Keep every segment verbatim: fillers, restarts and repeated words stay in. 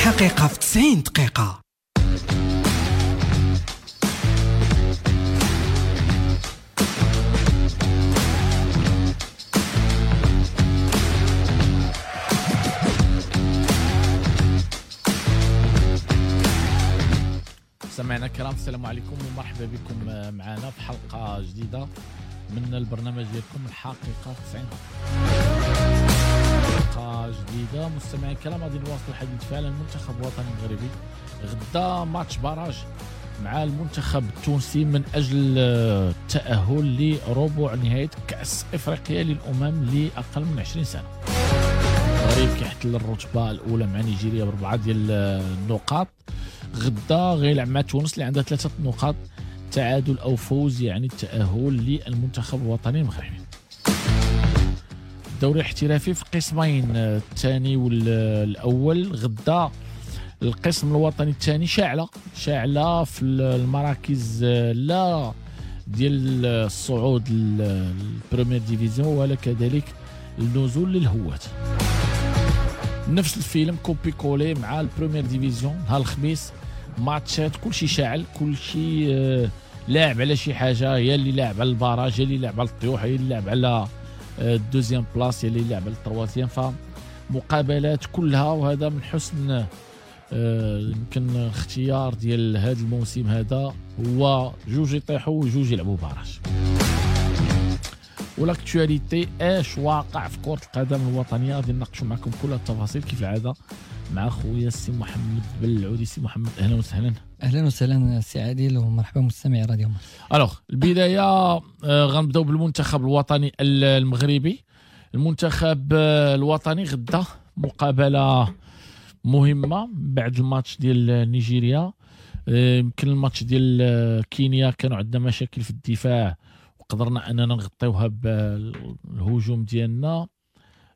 الحقيقة في تسعين دقيقة. مستمعينا الكرام، السلام عليكم ومرحبا بكم معنا في حلقة جديدة من البرنامج ديالكم الحقيقة في تسعين دقيقة. جديدة مستمعينا الكرام، غادي نواصلوا الحديث فعلا المنتخب الوطني المغربي غدا match barrage مع المنتخب التونسي من أجل التأهل لربع نهاية كأس إفريقيا للأمم لأقل من عشرين سنة. المغرب كيحتل الرتبة الأولى مع نيجيريا بأربعة ديال النقاط. غدا غيلعب مع تونس اللي عندها ثلاثة نقاط، تعادل أو فوز يعني التأهل للمنتخب الوطني المغربي. الدوري الاحترافي في قسمين، الثاني والأول. غدا القسم الوطني الثاني شاعلة شاعلة في المراكز لا ديال الصعود لل première division ولا كذلك النزول للهواة. نفس الفيلم copier-coller مع ال première division نهار الخميس، ماتشات كلشي شاعل، كلشي لاعب على شي حاجة، يا اللي لاعب على ال barrage، يا اللي لاعب على الطيوح، يا اللي لاعب على ال deuxième place، يا اللي لاعب على ال troisième. فمقابلات كلها، وهذا من حسن يمكن الاختيار ديال هذا الموسم هذا، هو جوج يطيحوا وجوج يلعبوا barrage. و l'actualité اش واقع في كرة القدم الوطنية غادي نناقشوا معكم كل التفاصيل كيف العادة مع خويا السي محمد بالعودي. سي محمد اهلا وسهلا. اهلا وسهلا سي عادل ومرحبا مستمعي راديو مارس. alors البداية غنبداو بالمنتخب الوطني المغربي. المنتخب الوطني غدا مقابلة مهمة بعد الماتش ديال نيجيريا. يمكن الماتش ديال كينيا كانوا عندنا مشاكل في الدفاع وقدرنا اننا نغطيوها بالهجوم ديالنا.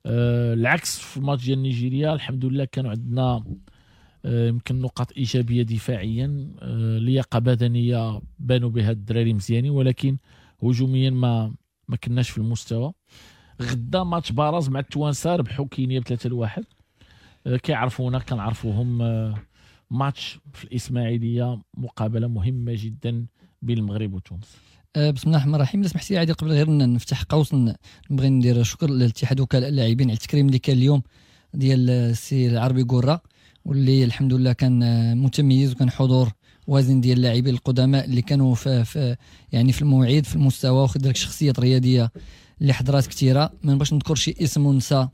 العكس في الماتش ديال نيجيريا الحمد لله كانوا عندنا يمكن نقاط ايجابية دفاعيا، لياقه بدنية بانوا بها الدراري مزيانين، ولكن هجوميا ما ما كناش في المستوى. غدا match barrage مع التوانسة، ربحوا كينيا بثلاثة لواحد، كيعرفونا كنعرفوهم. ماتش في الاسماعيلية، مقابله مهمة جدا بين المغرب وتونس. بسم الله الرحمن الرحيم. لا سمحتي عادي قبل غير نفتح قوس نبغي ندير شكر للاتحاد وكلاء اللاعبين على التكريم اللي كان اليوم ديال السي العربي قرة، واللي الحمد لله كان متميز وكان حضور وازن ديال اللاعبين القدماء اللي كانوا في, في يعني في الموعد في المستوى، وخذ لك شخصيات رياضية اللي حضرات كثيرة. ما نبغيش نذكر شي اسم ونسى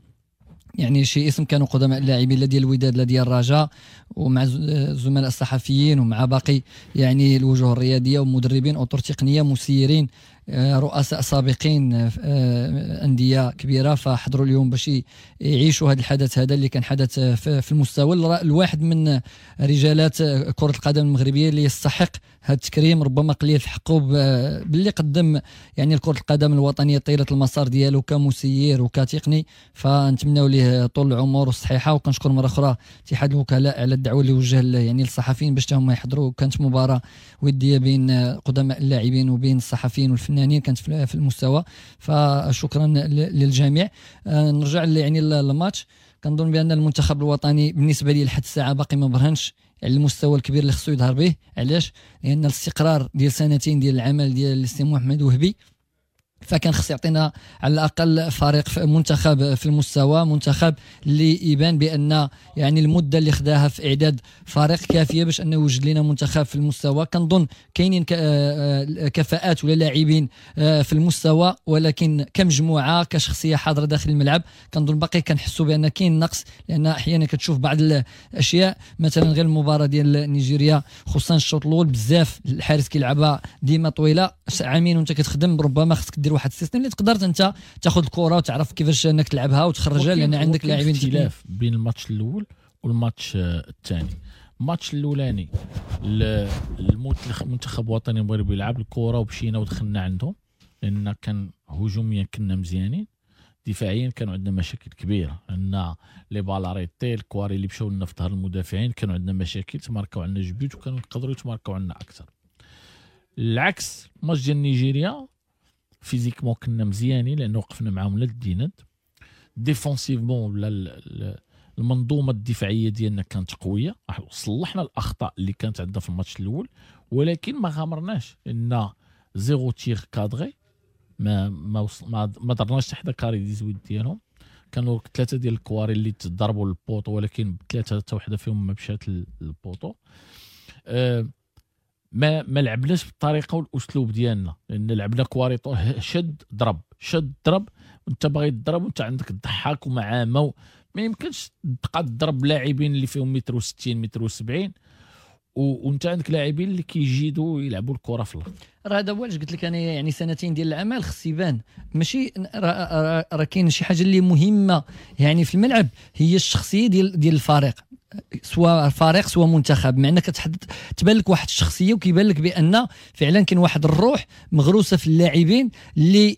يعني شي اسم، كانوا قدماء اللاعبين لا ديال الوداد لا ديال الرجاء، ومع الزملاء الصحفيين ومع باقي يعني الوجوه الرياضية ومدربين اطر تقنية مسيرين رؤساء سابقين اندية كبيرة، فحضروا اليوم باش يعيشوا هذا الحدث هذا اللي كان حدث في المستوى. الواحد من رجالات كره القدم المغربية اللي يستحق هذا التكريم، ربما قليل في حقه باللي قدم يعني كره القدم الوطنية طيلة المسار ديالو كمسير وكتقني، فنتمناو ليه طول العمر والصحيحه. وكنشكر مرة اخرى اتحاد الوكلاء على الدعوة اللي وجه يعني للصحفيين باش هما يحضروا. كانت مباراة وديه بين قدماء اللاعبين وبين الصحفيين والفنانين، كانت في المستوى، فشكرا للجميع. نرجع يعني للماتش. كنظن بان المنتخب الوطني بالنسبة لي لحد الساعة باقي ما برهنش على المستوى الكبير اللي خصو يظهر به. علاش؟ لان الاستقرار ديال سنتين ديال العمل ديال السي محمد وهبي، فكان خص يعطينا على الاقل فريق منتخب في المستوى، منتخب اللي يبان بان يعني المدة اللي خداها في اعداد فريق كافيه باش انه يوجد لنا منتخب في المستوى. كنظن كاينين كفاءات ولا لاعبين في المستوى، ولكن كمجموعة كشخصية حاضره داخل الملعب كنظن باقي كنحسوا بان كاين نقص، لان احيانا كتشوف بعض الاشياء مثلا غير المباراة ديال نيجيريا خصوصا الشوط الاول بزاف الحارس كيلعبها ديما طويلة، عامين وانت كتخدم ربما خصك دير واحد ال système اللي تقدر انت تاخذ الكره وتعرف كيفاش انك تلعبها وتخرجها، لان عندك لاعبين. اختلاف بين الماتش الاول والماتش الثاني. الماتش الاولاني المنتخب الوطني المغربي لعب الكره ومشينا ودخلنا عندهم، لان كان هجوميا كنا مزيانين، دفاعيا كانوا عندنا مشاكل كبيرة، لان les balles arrêtées الكواري اللي مشاو لنا في ظهر المدافعين كانوا عندنا مشاكل، تماركاو عندنا جوج buts وكانوا يقدروا يتماركاو عندنا اكثر. العكس الماتش ديال نيجيريا physiquement كنا مزيانين لانه وقفنا معاهم لا الدينات، défensivement ولا المنظومة الدفاعية ديالنا كانت قوية، صلحنا الاخطاء اللي كانت عندنا في الماتش الاول، ولكن ما غامرناش لان zéro tir cadré، ما ما ما, ما درناش حتى carré dix-huit ديالهم. كانوا ثلاثة ديال الكواري اللي تضربوا لل poteau، ولكن ثلاثة حتى وحده فيهم ما مشات لل poteau. أه ما ما لعبناش بالطريقة والاسلوب ديالنا، لان لعبنا كواري شد ضرب شد ضرب، وانت باغي تضرب وانت عندك الضحاك ومعامه، ما يمكنش تبقى تضرب لاعبين اللي فيهم متر وستين متر وسبعين وانت عندك لاعبين اللي كيجيدوا يلعبوا الكره في الارض. راه هذا هو علاش قلت لك انا يعني سنتين ديال العمل خص يبان، ماشي راه كاين شي حاجة اللي مهمة يعني في الملعب، هي الشخصية ديال ديال الفريق، سواء فريق سواء منتخب، مع انك كتحدد تبان لك واحد الشخصية وكيبان لك بان فعلا كاين واحد الروح مغروسه في اللاعبين اللي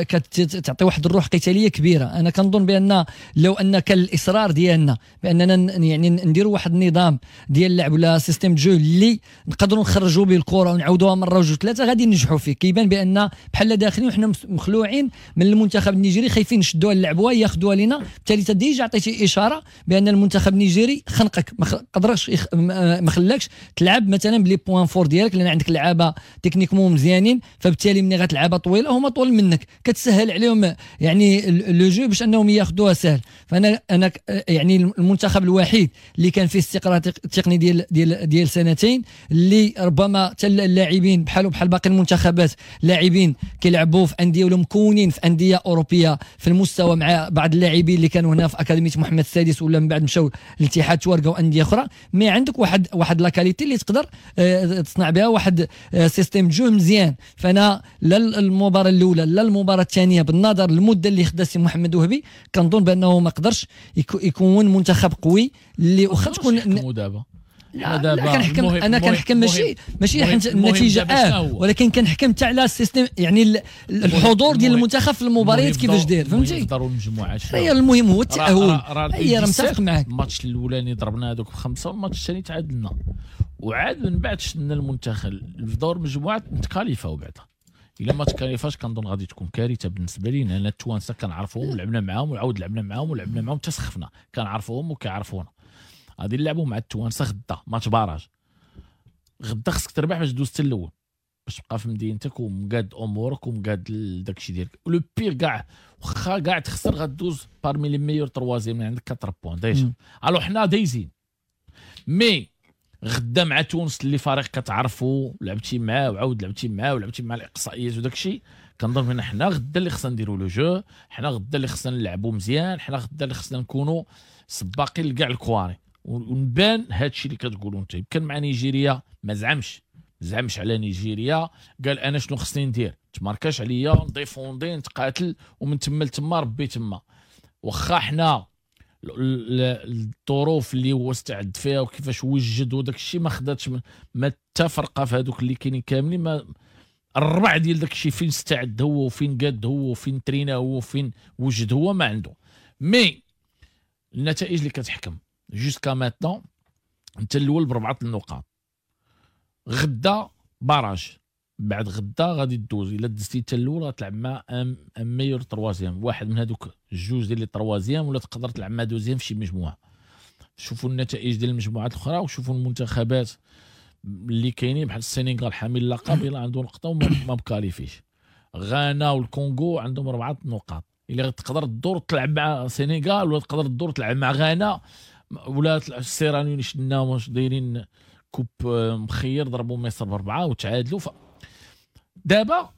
كتعطي واحد الروح قتالية كبيرة. انا كنظن بان لو ان كان الاصرار ديالنا باننا يعني نديروا واحد النظام ديال اللعب ولا système de jeu اللي نقدروا نخرجوا به الكره ونعاودوها مرة وجوج ثلاثة غادي ننجحوا فيه. كيبان بان بحال داخلين وحنا مخلوعين من المنتخب النيجيري، خايفين نشدوها نلعبوها ياخذوها لينا، بالتالي déjà عطيتي اشارة بان المنتخب النيجيري خنقك، ما قدرش ما خلاكش تلعب مثلا ب les points forts ديالك، لان عندك لعابه techniquement مزيانين، فبالتالي ملي غتلعبها طويلة هما طول منك كتسهل عليهم يعني le jeu باش انهم ياخذوها سهل. فانا انا يعني المنتخب الوحيد اللي كان فيه استقرار تقني ديال ديال ديال سنتين، اللي ربما حتى اللاعبين بحالو بحال باقي المنتخبات لاعبين كيلعبوا في اندية ولا مكونين في اندية اوروبية في المستوى، مع بعض اللاعبين اللي كانوا هنا في اكاديمية محمد السادس ولا من بعد مشاو للاتحاد توارقه وانديه اخرى، mais عندك واحد واحد la qualité اللي تقدر آه، تصنع بها واحد système de jeu مزيان. فانا لا المباراة الاولى لا المباراة الثانية بالنظر للمدة اللي خدا سي محمد وهبي كنظن بانه ما قدرش يكون منتخب قوي اللي واخا تكون دابا لا, لا كنحكم انا كنحكم ماشي ماشي حيت النتيجة اه ولكن كنحكم حتى على ال système يعني الحضور ديال المنتخب في المباريات كيفاش داير، فهمتي؟ داروا المجموعات هي المهم هو التاهل. هي راه متفق معاك. الماتش الاولاني ضربنا هذوك بخمسة والماتش الثاني تعادلنا، وعاد من بعد شدنا المنتخب في دور المجموعات نتكاليفاو بعدا. الا ما تكاليفاش كنظن غادي تكون كارثة بالنسبة لينا، لان التوانسة كنعرفوهم ولعبنا معاهم وعاود لعبنا معاهم ولعبنا معاهم حتى سخفنا، كنعرفوهم وكيعرفونا. غادي نلعبوا مع التوانسة غدا match barrage، غدا خصك تربح باش دوز حتى الاول، باش تبقى في مدينتك ومقاد امورك ومقاد داكشي ديالك. le pire كاع واخا كاع تخسر غدوز parmi les meilleurs troisièmes، عندك quatre points déjà. alors حنا دايزين، mais غدا مع تونس اللي فريق كتعرفو لعبتي معاه وعاود لعبتي معاه ولعبتي مع الاقصائيات وداكشي، كنظن بان حنا غدا اللي خصنا نديرو le jeu، حنا غدا اللي خصنا نلعبو مزيان، حنا غدا اللي خصنا نكونوا سباقين لكاع الكواري ونبان هادشي اللي كتقولوا انت. يمكن مع نيجيريا ما زعمش زعمش على نيجيريا، قال انا شنو خصني ندير، تماركاش عليا نديفوندي نتقاتل ومن تما لتما ربي تما. واخا حنا الظروف اللي هو استعد فيها وكيفاش وجد وداك الشيء ما خداتش ما حتى فرقه في هذوك اللي كاينين كاملين، ما الربع ديال داك الشيء فين استعد هو وفين قاد هو وفين ترينا هو وفين وجد هو ما عنده. mais النتائج اللي كتحكم jusqu'à maintenant انت الاول بربعه النقاط، غدا barrage، بعد غدا غادي دوز، الا دزتي انت الاول غتلعب مع un meilleur troisième، واحد من هذوك الجوج ديال les troisièmes، ولا تقدر تلعب مع deuxième في شي مجموعة. شوفوا النتائج ديال المجموعات الاخرى وشوفوا المنتخبات اللي كاينين بحال السنغال حامل اللقب الا عنده نقطة وما مكاليفيش، غانا والكونغو عندهم اربعة نقاط، الا تقدر تدور تلعب مع السنغال ولا تقدر تدور تلعب مع غانا ولا السيراليون شفنا واش دايرين coupe مخير ضربوا مصر باربعة وتعادلوا. ف... دابا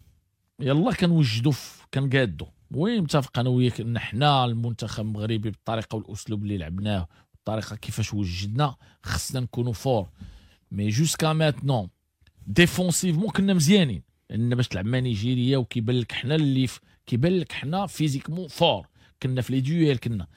يلا كنوجدوا كنقادوا. oui متفق انا وياك ان حنا المنتخب المغربي بالطريقة والاسلوب اللي لعبناه والطريقة كيفاش وجدنا خصنا نكونوا forts، mais jusqu'à maintenant défensivement كنا مزيانين، لان باش تلعب مع نيجيريا وكيبان لك حنا اللي ف... كيبان لك حنا physiquement forts، كنا في les duels كنا،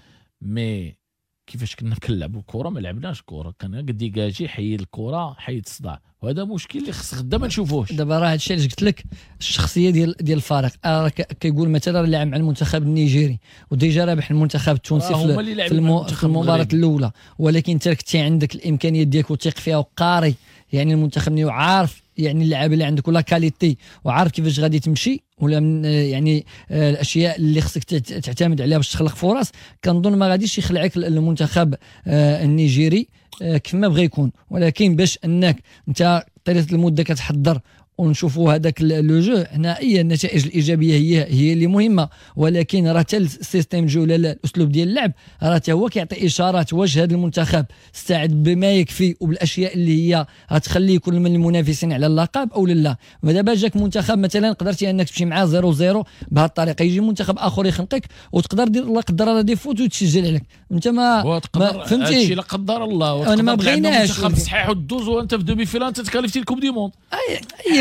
mais كيفاش كنا كنلعبوا الكره ما لعبناش كره، كان dégager حيد الكره حيد الصداع، وهذا مشكل اللي خص غدا ما نشوفوهش. دابا راه هادشي علاش قلت لك الشخصية ديال ديال الفريق، آه كيقول مثلا لعب مع المنتخب النيجيري و déjà رابح المنتخب التونسي في, في, المو في المباراة الاولى، ولكن انت كنتي عندك الامكانيات ديالك وثيق فيها وقاري يعني المنتخب النيجيري وعارف يعني اللعابه اللي عندك و la qualité وعارف كيفاش غادي تمشي. ولا من يعني الاشياء اللي خصك تعتمد عليها باش تخلق فرص، كنظن ما غاديش يخلعك المنتخب النيجيري كيف ما بغى يكون. ولكن باش انك انت طيلة المدة كتحضر ونشوفوا هذاك le jeu، هنا اي النتائج الايجابية هي هي اللي مهمة، ولكن راه حتى ال système jeu ولا الاسلوب ديال اللعب راه حتى هو كيعطي اشارات واش هذا المنتخب استعد بما يكفي وبالاشياء اللي هي غتخليه يكون من المنافسين على اللقب او لا. ودابا جاك منتخب مثلا قدرتي انك تمشي معاه صفر صفر بهذه الطريقة، يجي منتخب اخر يخنقك وتقدر دير لا قدر الله des fautes وتسجل عليك انت ما, ما فهمتي، لا قدر الله انا ما بغيناش منتخب صحيح ودوز وانت في demi-finale انت تكاليفتي ال coupe du monde.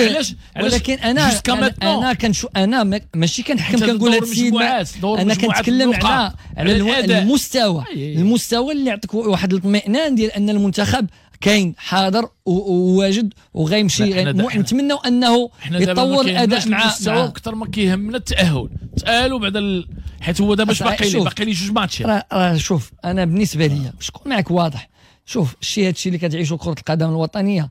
علاش؟ ولكن انا انا, أنا كنشو انا ماشي كنحكم كنقول هذا السيد، انا كنتكلم على على المستوى، المستوى اللي يعطيك واحد الاطمئنان ديال ان المنتخب كاين حاضر وواجد وغيمشي. نتمنوا انه يتطور الاداء مع المستوى اكثر ما كيهمنا التاهل، تاهلوا بعد ال... حيت هو دابا باقي لي باقي لي جوج ماتشات. راه شوف انا بالنسبة لي باش نكون معك واضح، شوف الشيء هذا الشيء اللي كتعيشوا كره القدم الوطنية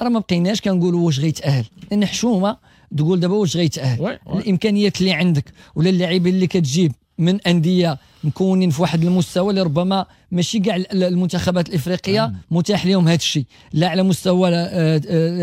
راه ما بقيناش كنقولوا واش غيتاهل، لان حشومه تقول دابا واش غيتاهل. الامكانيات اللي عندك ولا اللاعبين اللي كتجيب من اندية مكونين في واحد المستوى اللي ربما ماشي كاع المنتخبات الافريقية متاح لهم هذا الشيء، لا على مستوى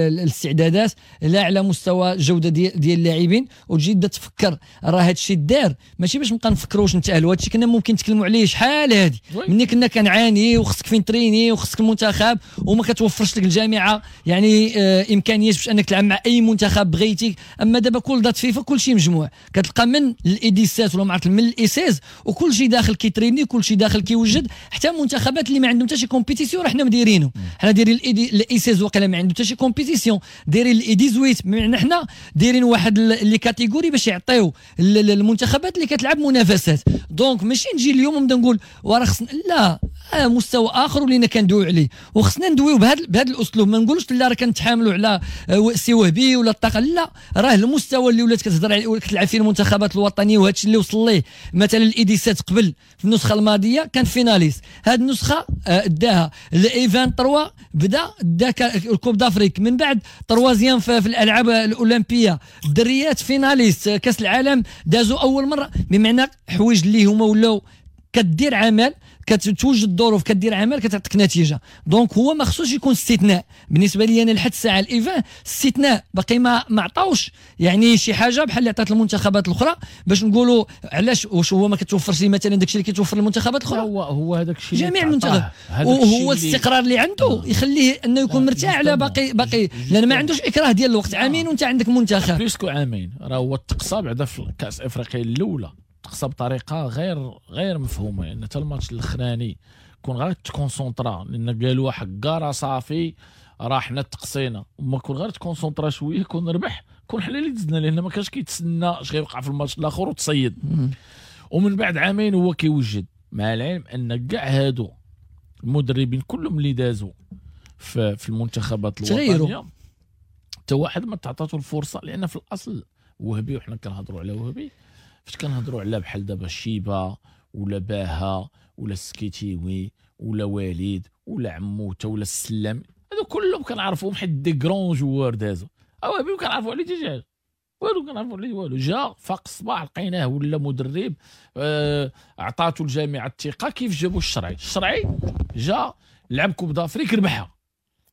الاستعدادات لا على مستوى الجودة ديال اللاعبين. وتجي تبدا تفكر راه هذا الشيء دار ماشي باش نبقى نفكروا واش نتاهلوا، هذا الشيء كنا ممكن نتكلموا عليه شحال هذه ملي كنا كنعاني وخصك فين تريني وخصك المنتخب وما كتوفرش لك الجامعة يعني آه امكانيات باش انك تلعب مع اي منتخب بغيتي. اما دابا كل date فيفا كل شيء مجموع، كتلقى من ال U dix-sept ولا ما عرفت من ال U seize وكل شيء داخل كيتريني كل شيء داخل كيوجد. حتى المنتخبات اللي ما عندهم حتى شي compétition راه حنا مديرينه، حنا دايرين ال U seize وقيلا ما عندهم حتى شي compétition، دايرين ال U dix-huit بمعنى حنا دايرين واحد les catégories باش يعطيو المنتخبات اللي كتلعب منافسات. donc ماشي نجي اليوم ونبدا نقول وراه خصنا لا آه مستوى اخر ولينا كندويو عليه وخصنا ندويو بهذا بهذا الاسلوب. ما نقولوش لا راه كنتحاملوا على سي وهبي ولا الطاقة، لا راه المستوى اللي ولات كتهضر عليه كتلعب فيه المنتخبات الوطنية وهذا الشيء اللي وصل ليه مثلا ال U dix-sept قبل في النسخة الماضية كان finaliste، هذه النسخة داها ال U vingt-trois بدا دا ال coupe d'Afrique، من بعد troisième في الالعاب الاولمبية، الدريات finaliste كاس العالم دازوا اول مرة. بمعنى حوايج اللي هما ولاو كدير عمل كتوجد الظروف كدير عمل كتعطيك نتيجة. donc هو ما خصوش يكون استثناء بالنسبة لي انا لحد الساعة ال U vingt استثناء باقي ما ما عطاوش يعني شي حاجة بحال اللي عطات المنتخبات الاخرى باش نقولوا علاش واش هو ما كتوفرش مثلا داكشي اللي كيتوفر للمنتخبات الاخرى. هو هو هذاك الشيء جميع المنتخب وهو الاستقرار اللي عنده يخليه انه يكون مرتاح على باقي باقي لان ما عندوش اكراه ديال الوقت. عامين وانت عندك منتخب plus que عامين، راه هو تقصى بعدا في كاس افريقيا الاولى تقصى بطريقة غير غير مفهومه، لان حتى الماتش الاخراني كون غير تكونسونطرا لان قالوا حكا راه صافي راه حنا تقصينا، وما كون غير تكونسونطرا شوية كون ربح كون حنا اللي دزنا، لان ما كانش كيتسنى اش غيوقع في الماتش الاخر وتصيد. ومن بعد عامين هو كيوجد، مع العلم ان كاع هادو المدربين كلهم اللي دازوا في, في المنتخبات الوطنية حتى واحد ما تعطاتو الفرصة، لان في الاصل وهبي وحنا كنهضروا على وهبي فاش كنهضروا على بحال دابا شيبة ولا باها ولا السكيتيوي ولا وليد ولا عموتة ولا السلام، هادو كلهم كنعرفوهم حيت des grands joueurs دازو. وهبي ما كنعرفوا عليه حتى حاجة، والو كنعرفوا عليه والو. جا فاق الصباح لقيناه ولا مدرب، آه عطاتو الجامعة الثقة. كيف جابوا الشرعي؟ الشرعي جا لعب coupe d'Afrique ربحها،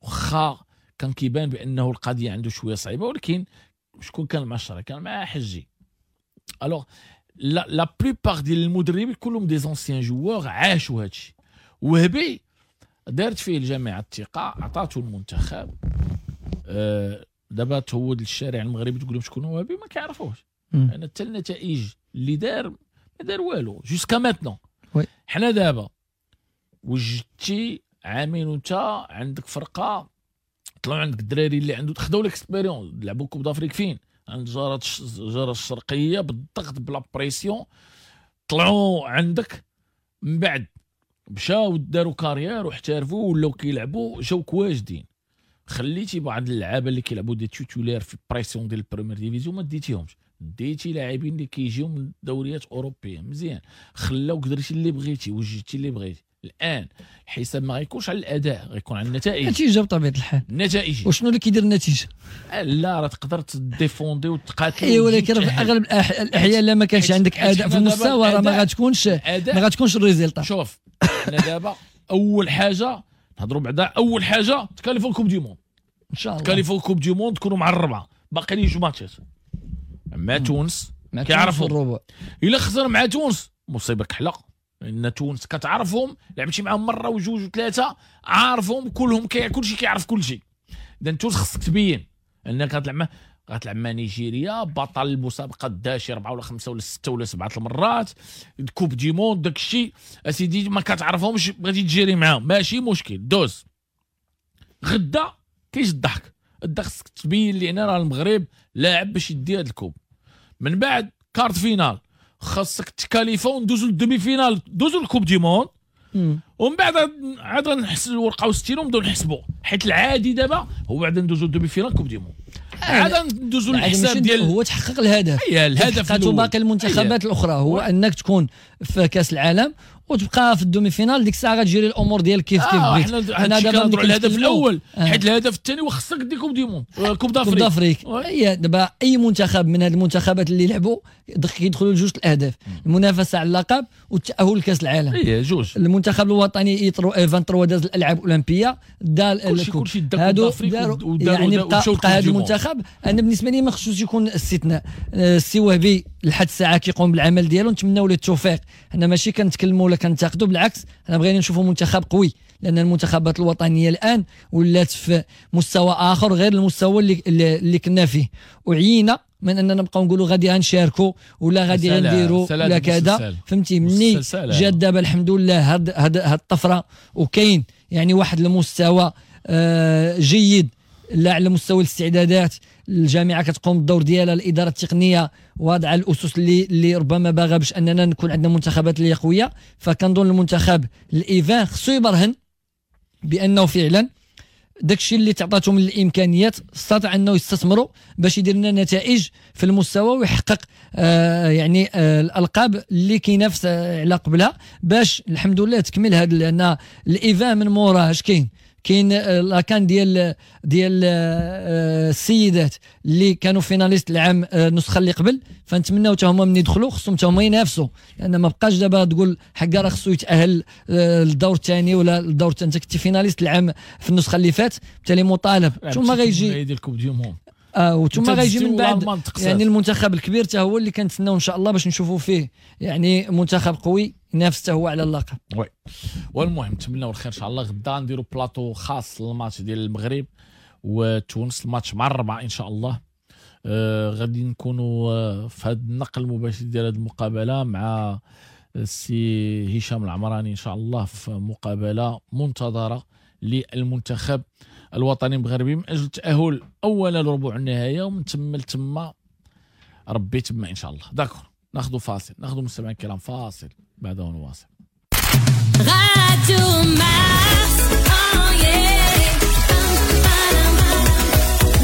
واخا كان كيبان بانه القضية عنده شوية صعيبة، ولكن شكون كان مع الشرعي؟ كان مع حجي. alors la la plupart ديال المدربين كلهم des anciens joueurs عاشوا هادشي. وهبي دارت فيه الجامعة الثقة، عطاتو المنتخب. آه دابا تهود للشارع المغربي تقول لهم شكون هو وهبي ما كيعرفوش، لان حتى النتائج اللي دار ما دار والو jusqu'à maintenant. حنا دابا وجدتي عامين وانت عندك فرقه، طلعوا عندك الدراري اللي عنده خداو l'expérience، لعبوا coupe d'Afrique فين؟ عند جارة الجارة الشرقية بالضغط ب la pression، طلعوا عندك من بعد مشاو داروا carrière واحترفوا ولاو كيلعبوا، جاوك واجدين. خليتي بعض اللعابه اللي كيلعبوا des titulaires في pression ديال ال première division ما ديتيهمش، ديتي لاعبين اللي كيجيو من دوريات اوروبية مزيان، خلاوك درتي اللي بغيتي وجدتي اللي بغيتي. الان الحساب ما غيكونش على الاداء، غيكون على النتائج. النتيجة بطبيعة الحال، النتائج. وشنو اللي كيدير النتيجة؟ لا راه تقدر ت défendre وتقاتل. اي ولكن في اغلب الاحيان لا ما كانش عندك اداء في المستوى راه ما غتكونش ما غتكونش ال résultat. شوف حنا دابا اول حاجة نهضروا بعدا، اول حاجة تكاليفو Coupe du monde ان شاء الله، تكاليفو Coupe du monde تكونوا مع الربعه، باقي لي جوج ماتشات مع تونس كيعرفوا. الا خسر مع تونس مصيبة كحلة، لان تونس كتعرفهم، لعبتي معاهم مرة وجوج وثلاثة، عارفهم كلهم، كي كلشي كيعرف كلشي. اذا تونس خصك تبين انك غتلعب مع غتلعب مع نيجيريا بطل المسابقة دا شي اربعة ولا خمسة ولا ستة ولا سبعة المرات، Coupe du monde داك الشيء اسيدي ما كتعرفهمش، بغيتي تجيري معاهم ماشي مشكل دوز. غدا كاينش الضحك، غدا خصك تبين لي راه المغرب لاعب باش يدي هاد ال coupe. من بعد quart de finale خاصك تكاليفا وندوزو لل demi-finale، دوزو لل Coupe du monde، ومن بعد عاد غنحسب الورقة وستين ونبداو نحسبوا، حيت العادي دابا هو بعد ندوزو لل demi-finale Coupe du monde، عاد ندوزو للحساب ديال هو تحقق الهدف. اي الهدف حققته باقي المنتخبات الاخرى هو انك تكون في كاس العالم وتبقى في ال demi-finale، ديك الساعة غتجري الامور ديالك كيف كيف بغيت. حنا دابا كنهضروا على الهدف الاول، آه. حيت الهدف الثاني وخصك دير Coupe du monde، Coupe d'Afrique. Coupe d'Afrique هي دابا اي منتخب من هاد المنتخبات اللي لعبوا كيدخلوا لجوج الاهداف، المنافسة على اللقب والتاهل لكاس العالم. اي جوج. المنتخب الوطني ثلاثة وعشرين داز الالعاب الاولمبية، دا كلشي كلشي دا Coupe d'Afrique، يعني بقى هذا المنتخب. انا بالنسبة لي ما خصوش يكون استثناء. السي وهبي لحد الساعة كيقوم بالعمل ديالو، نتمناو له التوفيق. حنا ماشي كنتكلموا ولا كنتقدوا، بالعكس حنا بغينا نشوفوا منتخب قوي، لان المنتخبات الوطنية الان ولات في مستوى اخر غير المستوى اللي اللي كنا فيه، وعينا من اننا نبقاو نقولوا غادي غنشاركوا ولا غادي غنديروا ولا كذا، فهمتي؟ مني جات دابا الحمد لله هاد هاد هاد الطفرة، وكاين يعني واحد المستوى آه جيد لا على مستوى الاستعدادات، الجامعة كتقوم بالدور ديالها، الادارة التقنية واضعه الاسس اللي اللي ربما باغا باش اننا نكون عندنا منتخبات اللي قوية. فكنظن المنتخب الايفان خصو يبرهن بانه فعلا داكشي اللي تعطاتو من الامكانيات استطاع انه يستثمروا باش يدير لنا نتائج في المستوى ويحقق آه يعني آه الالقاب اللي كينافس على قبلها، باش الحمد لله تكمل هذا. لان ال U vingt من موراه اش كاين؟ كاين la CAN ديال ديال السيدات اللي كانوا finalistes العام النسخة اللي قبل، فنتمناو حتى هما من يدخلوا خصهم حتى هما ينافسوا، لان ما بقاش دابا تقول حكا راه خصو يتاهل للدور الثاني ولا الدور الثاني، انت كنتي finaliste العام في النسخة اللي فات، بالتالي مطالب. ثم غيجي ديال Coupe du monde اه وثم غيجي من بعد يعني المنتخب الكبير حتى هو اللي كنتسناو ان شاء الله باش نشوفوا فيه يعني منتخب قوي ينافس حتى هو على اللقب. oui والمهم نتمناو الخير ان شاء الله. غدا نديروا بلاطو خاص للماتش ديال المغرب وتونس، الماتش مع الربعه ان شاء الله. آه غادي نكونوا آه في هذا النقل المباشر ديال هذه المقابلة مع السي هشام العمراني ان شاء الله، في مقابله منتظره للمنتخب الوطني المغربي من اجل التاهل اولا لربع النهاية، ومن ثم لتما ربي تما ان شاء الله. d'accord، ناخذ فاصل، ناخذ مستمعينا الكرام فاصل بعده نواصل. راديو مارس،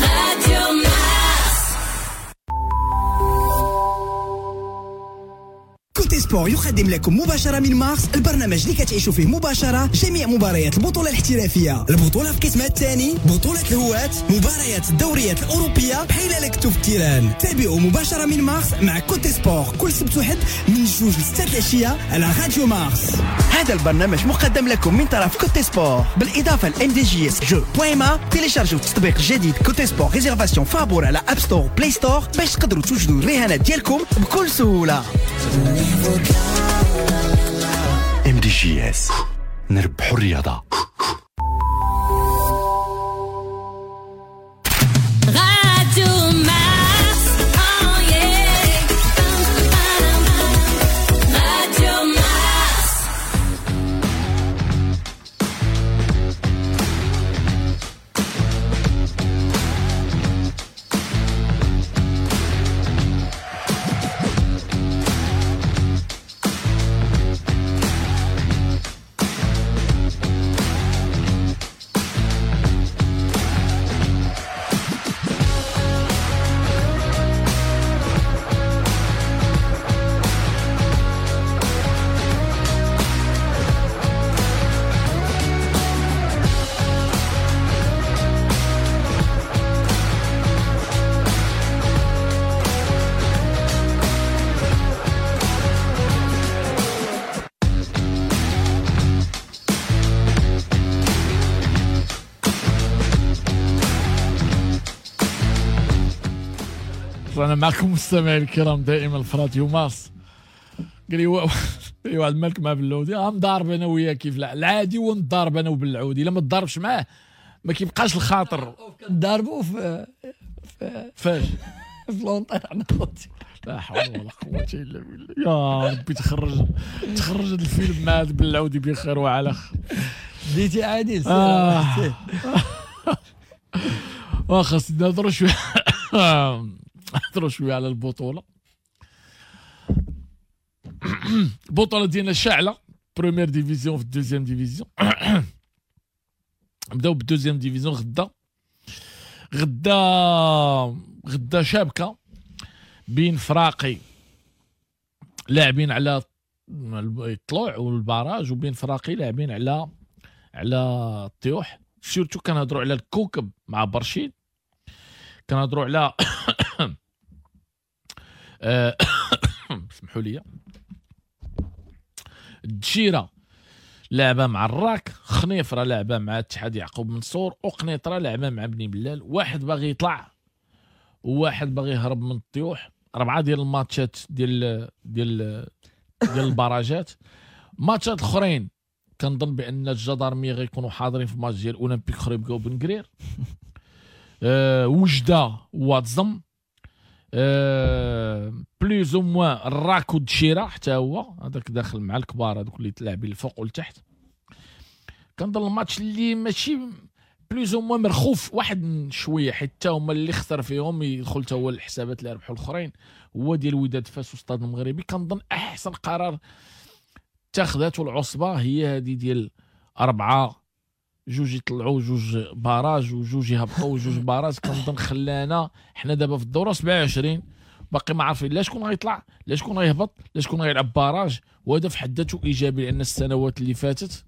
راديو مارس. كوتي سبور يقدم لكم مباشرة من مارس البرنامج اللي كتعيشوا فيه مباشرة جميع مباريات البطولة الاحترافية، البطولة في قسمها الثاني، بطولة الهواة، مباريات الدوريات الأوروبية بحال لكتو في ال terrain. تابعوا مباشرة من مارس مع كوتي سبور كل سبت وحد من جوج لستة العشية على راديو مارس. هذا البرنامج مقدم لكم من طرف كوتي سبور بالإضافة ل ام دي جي اس جو بوين ما. تيليشارجوا التطبيق الجديد كوتي سبور réservation فابور على App Store Play Store باش تقدروا توجدوا الرهانات ديالكم بكل سهولة. ام دي جي اس، نربحوا الرياضة. راديو مارس، راديو مارس. رانا معكم مستمعي الكرام دائما في راديو مارس. قال لي قال لي واحد مالك مع بالعودي، اه مضارب انا وياه كيف العادي ونضارب انا وبالعودي، الا ما تضاربش معاه ما كيبقاش الخاطر. كنضاربوا في فاش في l'antenne عند خوتي. لا حول ولا قوة الا بالله، يا ربي تخرج تخرج هذا الفيلم مع هذا بالعودي بخير وعلى خير. ديتي عادل سير. واخا سيدنا نهضروا شوية نهضروا شوية على البطولة. البطولة ديالنا شاعله، première division في ال deuxième division. نبداو بال deuxième division. غدا غدا غدا شابكه بين فراقي لاعبين على الطلوع وال barrage، وبين فراقي لاعبين على على الطيوح. surtout كنهضروا على الكوكب مع برشيد، كنهضروا على سمحوا لي الدشيره لعبه مع الراك، خنيفره لعبه مع اتحاد يعقوب منصور، وقنيطره لعبه مع بني بلال. واحد باغي يطلع وواحد باغي يهرب من الطيوح. اربعة ديال الماتشات ديال ديال ديال البراجات. ماتشات الاخرين كنظن بان الجدارميه غيكونوا حاضرين في ماتش ديال اولمبيك خريبكا وبن قرير، أه وجده واتزم، أه plus ou moins الراك والدشيره حتى هو هذاك داخل مع الكبار هذوك اللي تلاعبين الفوق والتحت. كنظن الماتش اللي ماشي plus ou moins مرخوف واحد شوية، حتى هما اللي خسر فيهم يدخل حتى هو الحسابات اللي ربحوا الاخرين، هو ديال وداد فاس وستاد المغربي. كنظن احسن قرار اتخذته العصبة هي هذه ديال اربعة، جوج يطلعوا جوج barrage وجوج يهبطوا جوج barrage. كنظن خلانا حنا دابا في الدورة سبعة وعشرين باقي ما عارفين لا شكون غيطلع لا شكون غيهبط لا شكون غيلعب barrage، وهذا في حد ذاته ايجابي، لان السنوات اللي فاتت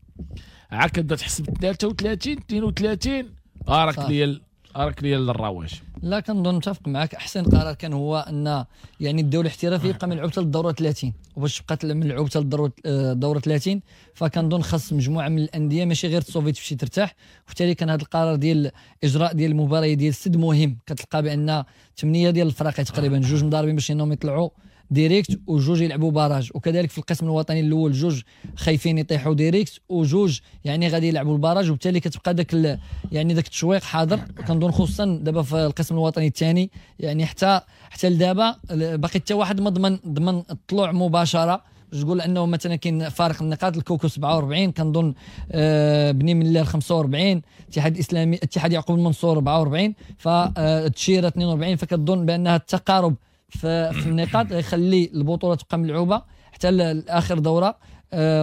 عاد كتبدا تحسب ثلاثة وثلاثين اثنين وثلاثين راك ليا راك ليا للرواج. لا كنظن متفق معك. احسن قرار كان هو ان يعني الدوري الاحترافي يبقى ملعوب حتى للدورة ثلاثين، وباش تبقى ملعوب حتى للدورة ثلاثين فكنظن خاص مجموعة من الاندية ماشي غير تصوفي تمشي ترتاح. وبالتالي كان هذا القرار ديال اجراء ديال المباراة ديال السد مهم. كتلقى بان ثمانية ديال الفرق تقريبا جوج مضاربين باش انهم يطلعوا direct وجوج يلعبوا barrage، وكذلك في القسم الوطني الاول جوج خايفين يطيحوا direct وجوج يعني غادي يلعبوا ال barrage، وبالتالي كتبقى داك يعني داك التشويق حاضر. كنظن خصوصا دابا في القسم الوطني الثاني يعني حتى حتى لدابا باقي حتى واحد ما ضمن ضمن الطلوع مباشرة. باش تقول انه مثلا كاين فارق النقاط، الكوكو سبعة وأربعين كنظن آه بني ملال خمسة وأربعين، الاتحاد الاسلامي اتحاد يعقوب المنصور أربعة وأربعين، فالتشيره اثنين وأربعين. فكتظن بانها التقارب في النقاط يخلي البطولة تبقى ملعوبه حتى لاخر دوره،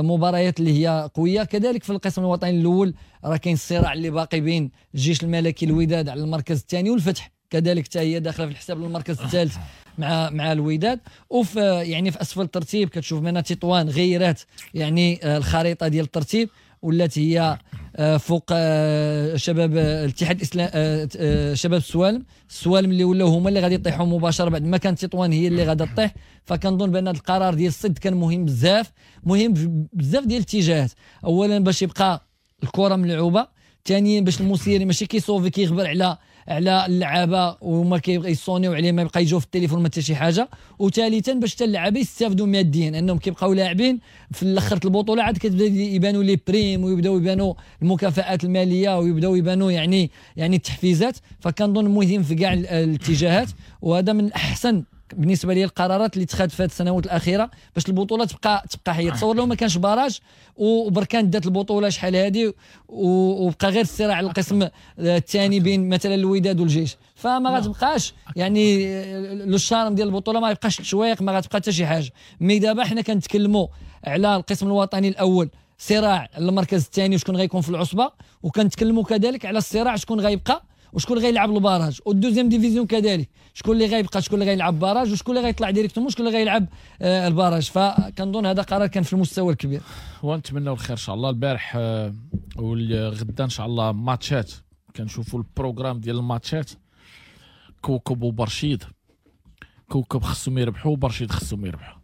مباريات اللي هي قوية. كذلك في القسم الوطني الاول راه كاين الصراع اللي باقي بين الجيش الملكي الوداد على المركز الثاني، والفتح كذلك حتى هي داخله في الحساب للمركز الثالث مع مع الوداد. وفي يعني في اسفل الترتيب كتشوف من تطوان غيرات يعني الخريطة ديال الترتيب، ولات هي فوق شباب الاتحاد الاسلامي شباب السوالم، السوالم اللي ولاو هما اللي غادي يطيحوا مباشرة بعد ما كانت تطوان هي اللي غادا تطيح. فكنظن بان هذا القرار ديال السد كان مهم بزاف، مهم بزاف ديال الاتجاهات. اولا باش يبقى الكره ملعوبه، ثانيا باش المسير ماشي كيصوفي كيغبر على على اللعابه وما كيصونيو عليه ما يبقى يجوا في التليفون ما حتى شي حاجة، وثالثا باش حتى اللعابه يستافدوا ماديا انهم كيبقاو لاعبين في الاخر البطولة عاد كتبدا يبانوا les primes ويبداو يبانوا المكافآت المالية ويبداو يبانوا يعني يعني التحفيزات. فكنظن مهم في كاع الاتجاهات، وهذا من احسن بالنسبة لي القرارات اللي اتخذت في هذه السنوات الاخيرة باش البطولة تبقى تبقى حيه. تصور لو ما كانش barrage وبركان دات البطولة شحال هذه وبقى غير الصراع على القسم الثاني بين مثلا الوداد والجيش، فما غتبقاش يعني le charme ديال البطولة، ما يبقاش التشويق، ما غتبقى حتى شي حاجة. mais دابا حنا كنتكلموا على القسم الوطني الاول صراع المركز الثاني وشكون غيكون في العصبة، وكنتكلموا كذلك على الصراع شكون غيبقى وشكون غيلعب ال barrage، وال deuxième division كذلك شكون اللي غيبقى شكون اللي غيلعب barrage وشكون اللي غيطلع directement وشكون اللي غيلعب آه ال barrage. فكنظن هذا قرار كان في المستوى الكبير ونتمنوا الخير ان شاء الله. البارح آه والغدا ان شاء الله ماتشات، كنشوفوا ال programme ديال الماتشات. كوكب وبرشيد، كوكب خصهم يربحوا وبرشيد خصهم يربحوا،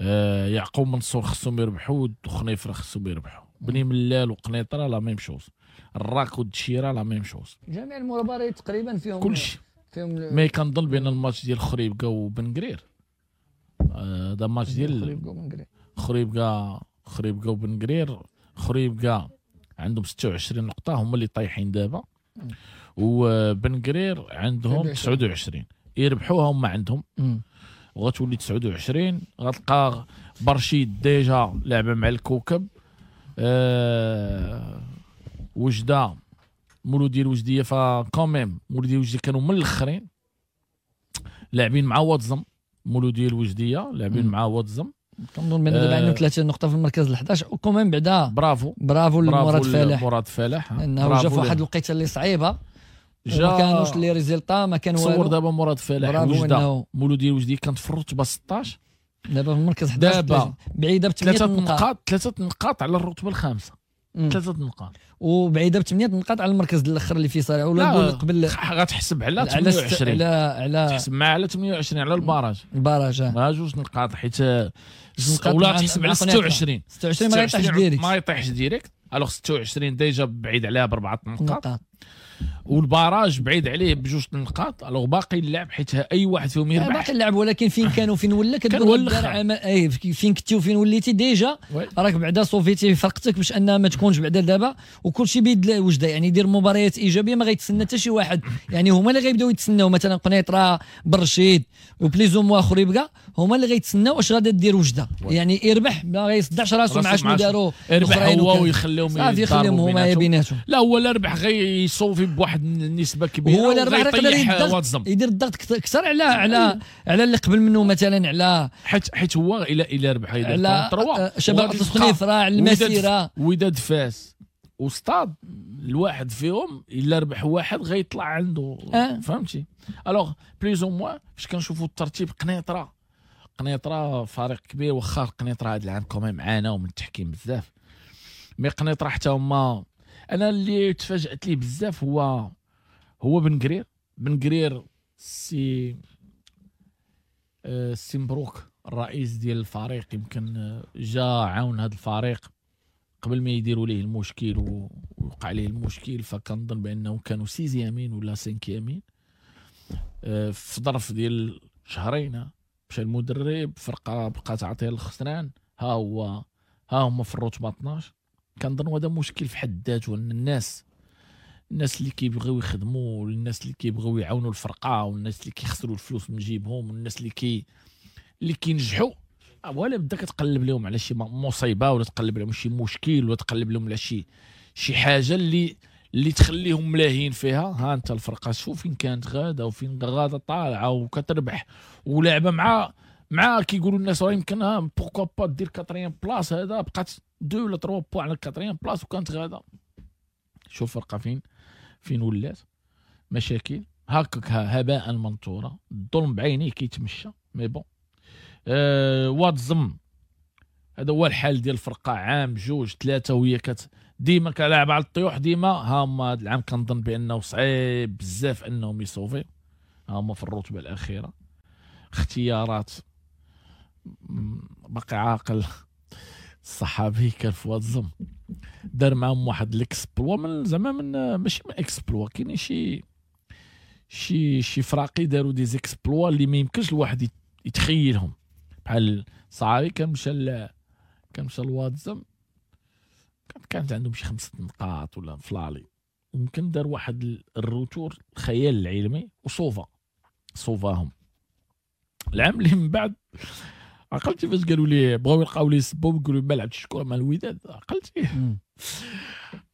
آه يعقوب منصور خصهم يربحوا وخنيفره خصهم يربحوا، بني ملال وقنيطره la même chose، الراك والدشيره la même chose. جميع المباريات تقريبا فيهم كلشي فيهم mais كنظن بان الماتش ديال خريبكا وبنكرير هذا ماتش ديال خريبكا وبنكرير، خريبكا خريبكا وبنكرير. خريبكا عندهم ستة وعشرين نقطة هما اللي طايحين دابا، وبنكرير عندهم تسعة وعشرين، يربحوها هما عندهم وغتولي تسعة وعشرين. غتلقى برشيد déjà لعبه مع الكوكب، أه وجده مولودي الوجديه ف quand même مولودي الوجديه كانوا من الاخرين لاعبين مع واتزم، مولودي الوجديه لاعبين مع واتزم. كنظن بان دابا عندهم ثلاثة نقطة في المركز الحداش، و quand même بعدا برافو برافو لمراد فلاح، مراد فلاح انه جا في واحد الوقيته اللي صعيبة، جا ما كانوش les résultats، ما كان والو. تصور دابا مراد فلاح وجده مولودي الوجديه كانت في الرتبة ستاش، دابا في المركز حداش، دابا بعيدة بثمانية نقاط، ثلاثة نقاط على الرتبة الخامسة، ثلاثة نقاط، وبعيدة بثمانية نقاط على المركز الاخر اللي فيه صارع. ولا نقول قبل غتحسب على ثمانية وعشرين، على على تحسب مع على ثمانية وعشرين على ال barrage، ال barrage مع جوج نقاط، حيت ولا تحسب على ستة وعشرين، ستة وعشرين ما يطيحش direct، ما يطيحش direct. alors ستة وعشرين déjà بعيد عليها باربعة نقاط، وال barrage بعيد عليه بجوج نقاط. alors باقي اللعب، حيت اي واحد فيهم يربح باقي اللعب، ولكن فين كانوا فين ولا كتقول اي فين كنتي وفين وليتي déjà راك بعدا صوفيتي فرقتك باش انها ما تكونش بعدا دابا، وكل شيء بيد وجده. يعني يدير مباريات ايجابية ما غيتسنى حتى شي واحد، يعني هما اللي غيبداو يتسناو، مثلا قنيطره برشيد و plus ou moins خريبكا هما اللي غيتسناو واش غادا دير وجده. يعني يربح ما غيصدعش راسو مع شنو داروا يربح هو ويخليهم يخليهم هما بيناتهم. لا هو لا ربح غيصوفي بواحد النسبة كبيرة، هو لا ربح يقدر يدير الضغط اكثر على على على اللي قبل منه، مثلا على حيت حيت هو الى الى ربح يدير ثلاثة شباب الخنيفره على المسيرة وداد فاس وستاد، الواحد فيهم الا ربح واحد غيطلع عنده أه. فهمتي؟ alors plus ou moins فاش كنشوفوا الترتيب، قنيطره قنيطره فريق كبير، واخا قنيطره هذا العام quand même عاناو من التحكيم بزاف، mais قنيطره حتى هما انا اللي تفاجات ليه بزاف هو هو بن قرير. بن قرير سي سي مبروك الرئيس ديال الفريق، يمكن جا عاون هذا الفريق قبل ما يديروا ليه المشكل ووقع ليه المشكل، فكنظن بانهم كانوا sixième ولا cinquième في ظرف ديال شهرين مشى المدرب، فرقه بقات عاطيه الخسران، ها هو ها هما في الرتبة اثناش. كنظن هذا مشكل في حد ذاته، ان الناس الناس اللي كيبغيو يخدموا، والناس اللي كيبغيو يعاونوا الفرقة، والناس اللي كيخسروا الفلوس من جيبهم، والناس اللي كي اللي كينجحوا، ولا بدا كتقلب لهم على شي مصيبة، ولا تقلب لهم شي مشكل، ولا تقلب لهم على شي شي حاجة اللي اللي تخليهم ملاهين فيها. ها انت الفرقة شوف فين كانت غاده وفين غاده طالعه وكتربح ولعبه مع مع كيقولوا الناس راه يمكن pourquoi pas دير quatrième place، هذا بقات deux ولا trois points على quatrième place وكانت غاده. شوف فرقه فين فين ولات مشاكل هكاك هباء منثورا، الظلم بعينيه كيتمشى. mais bon أه واتزم هذا هو الحال ديال الفرقة، عام جوج ثلاثة وهي كت ديما كلاعب على الطيوح ديما. ها هما هذا العام كنظن بانه صعيب بزاف انهم يصوفي، ها هما في الرتبة الاخيرة. اختيارات باقي عاقل الصحابي كان في واتزم دار معاهم واحد l'exploit من زعما من ماشي من exploit، كاين شي شي شي فراقي داروا des exploits اللي ما يمكنش الواحد يتخيلهم. بحال صعابي كان مشى كان مشى لواتزم كانت عندهم شي خمسة نقاط ولا ف l'aller، ويمكن دار واحد ال retour الخيال العلمي وصوفا صوفاهم. العام اللي من بعد عقلتي فاش قالوا لي بغاو يلقاو لي سبوب يقولوا ما لعبتش كره مع الوداد، عقلتي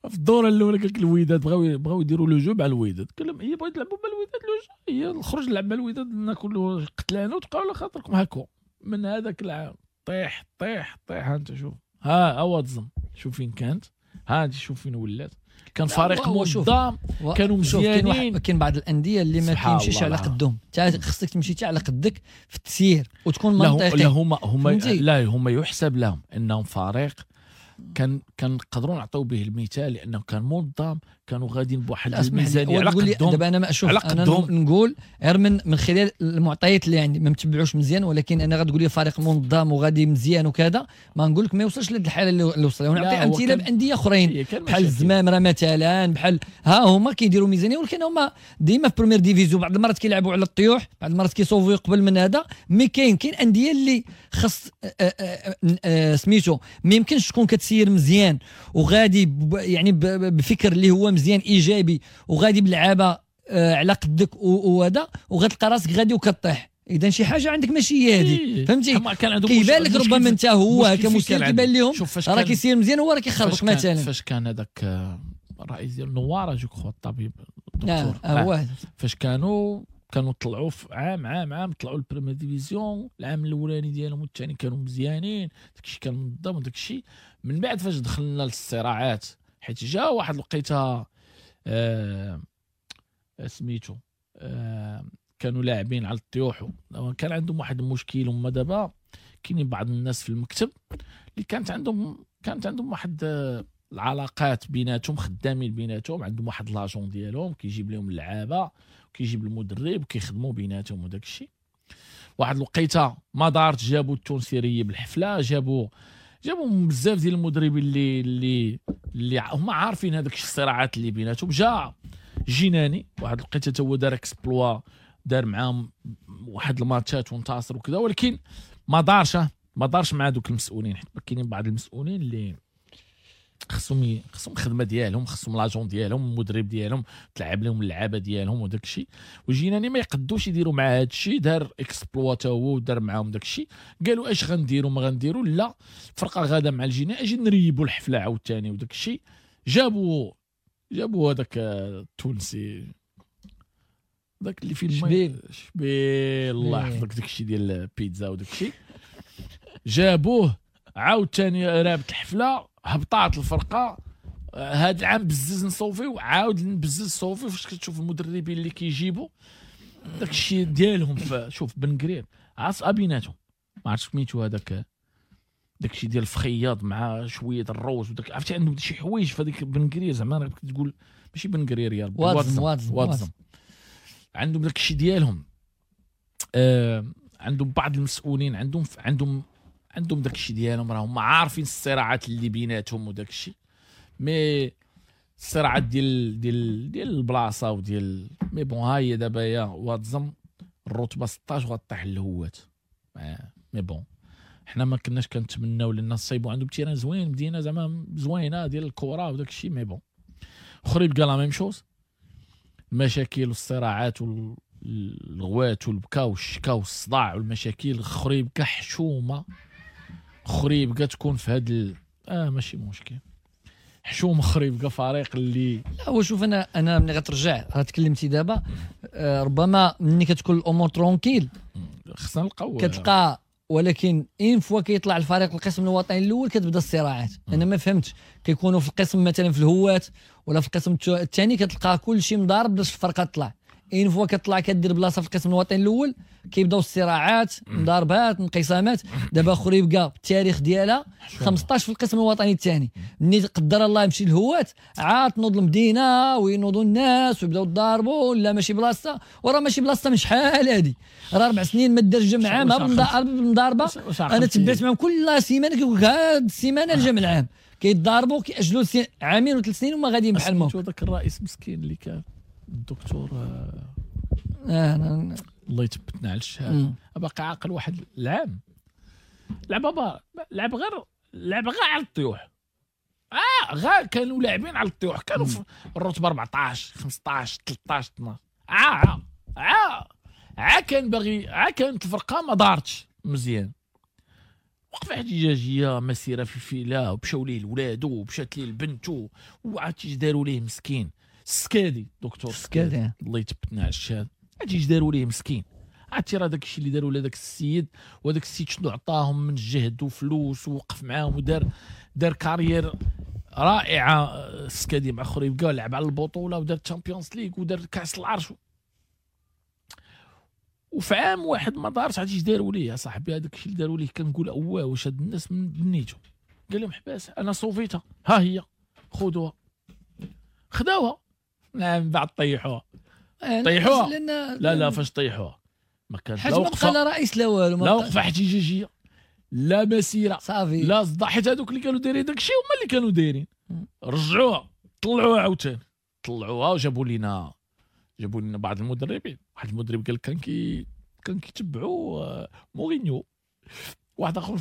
في الدورة الاولى قال لك الوداد بغاو بغاو يديروا le jeu مع الوداد، قال لهم هي بغيت تلعبوا مع الوداد le jeu، هي نخرج نلعب مع الوداد ناكلوا قتلانه وتبقاو على خاطركم هاكو. من هذاك العام طيح طيح طيح، ها انت شوف ها ها واتزم شوف فين كانت، ها انت شوف فين ولات. كان فريق منظم، كانوا مزيانين. كاين بعض الاندية اللي ما كيمشيش على قدهم، انت خصك تمشي حتى على قدك في التسيير وتكون منطقي. لا هما هما لا هما يحسب لهم انهم فريق كان كنقدروا نعطيو به المثال لانه كان منظم، كانوا غاديين بواحد الميزانية على قدهم. دابا انا ما اشوف، انا نقول غير من من خلال المعطيات اللي عندي ما متبعوش مزيان، ولكن انا غتقول لي فريق منظم وغادي مزيان وكذا، ما نقول لك ما يوصلش لهاد الحالة اللي وصل. ونعطي امثلة بانديه اخرين بحال الزمامره مثلا، بحال ها هما كيديروا ميزانية ولكن هما ديما في première division، بعض المرات كيلعبوا على الطيوح، بعض المرات كيصوفيو قبل من هذا. mais كاين كاين اندية اللي خص سميتو ما يمكنش تكون كتسير مزيان وغادي يعني بفكر اللي هو مزيان ايجابي وغادي باللعابه على قدك وهذا، وغتلقى راسك غادي وكطيح. اذا شي حاجة عندك ماشي هي هذه، فهمتي؟ كيبان لك ربما انت هو كمسير كيبان لهم راه كيسير مزيان هو راه كيخربق مثلا. فاش كان هذاك الرئيس ديال نواره je crois الطبيب الدكتور، آه فاش كانوا كانوا طلعوا في عام عام عام طلعوا ال première division، العام الاولاني ديالهم والثاني كانوا مزيانين، داكشي كان منظم وداكشي. من بعد فاش دخلنا للصراعات، حيت جا واحد الوقيته آه سميتو آه كانوا لاعبين على الطيوح، كان عندهم واحد المشكل. هما دابا كاينين بعض الناس في المكتب اللي كانت عندهم كانت عندهم واحد آه العلاقات بيناتهم، خدامين بيناتهم، عندهم واحد l'agent ديالهم كيجيب لهم اللعابه وكيجيب المدرب وكيخدموا بيناتهم وداك الشيء. واحد الوقيته ما دارت، جابوا التونسيريه بالحفله، جابوا جابوا بزاف ديال المدربين اللي اللي اللي هما عارفين هذوك الصراعات اللي بيناتهم. جا جناني واحد الوقيته تا هو دار exploit، دار معاهم واحد الماتشات وانتصر وكذا، ولكن ما دارش ما دارش مع دوك المسؤولين، حيت كاينين بعض المسؤولين اللي خصهم خصهم الخدمة ديالهم، خصهم l'agent ديالهم، المدرب ديالهم، تلعب لهم اللعابه ديالهم وداك الشيء. وجيناني ما يقدوش يديروا مع هذا الشيء، دار exploit تا هو ودار معاهم داك الشيء. قالوا اش غنديروا ما غنديروا، لا فرقه غاده مع الجيناني، اجي نريبوا الحفلة عاوتاني وداك الشيء. جابوا جابوا هذاك التونسي داك اللي فيه شبيل شبيل الله يحفظك، داك الشيء ديال البيتزا وداك الشيء. جابوه عاوتاني رابط الحفلة، هبطات الفرقة. هذا العام بزز نصوفي وعاود نبزز صوفي. فاش كتشوف المدربين اللي كيجيبوا داك الشيء ديالهم، شوف بن قرير عاص بيناتهم ما عرفتش سميتو هذاك داك الشيء ديال الفخياض مع شوية الروز وداك، عرفتي عندهم شي حوايج في هذيك بن قرير زعما راه كتقول ماشي بن قرير يا ربي، واتزم واتزم واتزم عندهم داك الشيء ديالهم. آه عندهم بعض المسؤولين عندهم عندهم عندهم داك الشيء ديالهم، راهم عارفين الصراعات اللي بيناتهم وداك الشيء. mais الصراعات ديال ديال ديال البلاصة وديال mais bon، ها هي دابا يا واتزم الرتبة ستاش وغطيح الهوات. mais bon حنا ما كناش كنتمناو لان الصيبو عندهم terrain زوين، مدينة زعما زوينة ديال الكره وداك الشيء. mais bon خريبكة la même chose، المشاكل والصراعات والغوات والبكا والشكا والصداع والمشاكل. خريبكة حشومه، خريبكة تكون في هاد ال... اه ماشي مشكل، حشومه خريبكة فريق اللي لا. هو شوف انا انا ملي غترجع راه تكلمتي دابا، آه ربما ملي كتكون الامور tranquille خصنا نلقاو كتلقى، ولكن une fois كيطلع الفريق القسم الوطني الاول كتبدا الصراعات. انا ما فهمتش، كيكونوا في القسم مثلا في الهوات ولا في القسم الثاني كتلقى كل شيء مضارب باش الفرقة تطلع. une fois كتطلع كدير بلاصة في القسم الوطني الاول كيبداو الصراعات، مضاربات، انقسامات. دابا خريبكة التاريخ ديالها خمسطاش في القسم الوطني الثاني، ملي قدر الله يمشي للهوات عاد تنوض المدينة وينوضوا الناس ويبداو يضاربوا، لا ماشي بلاصة، وراه ماشي بلاصة من شحال هادي، راه اربع سنين ما دار الجمع عام بالمضاربه. انا تبعت معاهم كل سيمانه كيقول لك هاد السيمانة الجمع العام كيتضاربوا، كيأجلوا عامين وثلاث سنين وما غاديين بحال ما. هذاك الرئيس مسكين اللي كان الدكتور آه أنا... الله يثبتنا على الشهادة، باقي عاقل واحد العام لعب بابا لعب غير لعب غير على الطيوح، اه غير كانوا لاعبين على الطيوح، كانوا في الرتبة أربعطاش خمسطاش ثلاطاش اثناش. اه اه اه كان باغي، اه كانت الفرقة ما دارتش مزيان، وقفه احتجاجية، مسيره في الفيلا، ومشاو ليه لولادو ومشات ليه لبنتو، وعرفتي اش داروا ليه مسكين السكادي دكتور السكادي الله يثبتنا على الشهادة، عرفتي اش داروا ليه مسكين؟ عرفتي راه داك الشيء اللي داروا لهذاك السيد، وهذاك السيد شنو عطاهم من جهد وفلوس ووقف معاهم ودار دار carrière رائعة السكادي مع خريبكة، لعب على البطولة ودار Champions League ودار كاس العرش، وفي عام واحد ما دارش. عرفتي اش داروا ليه يا صاحبي؟ هذاك الشيء اللي داروا ليه كنقول اواه واش هاد الناس من بنيتو قال لهم حباس انا صوفيتها، ها هي خذوها. خداوها نعم، بعد طيحوها. طيحوها لا لا فاش طيحوها ما كانش لا وقفه لا رئيس لا والو، لا وقفه احتجاجية لا مسيره صافي لا صداع، حيت هذوك اللي كانوا دايرين داكشي هما اللي كانوا دايرين. رجعوها طلعوها عاوتاني، طلعوها وجابوا لينا جابوا لنا بعض المدربين. واحد المدرب قال كان كي كان كيتبعوا مورينيو، واحد اخر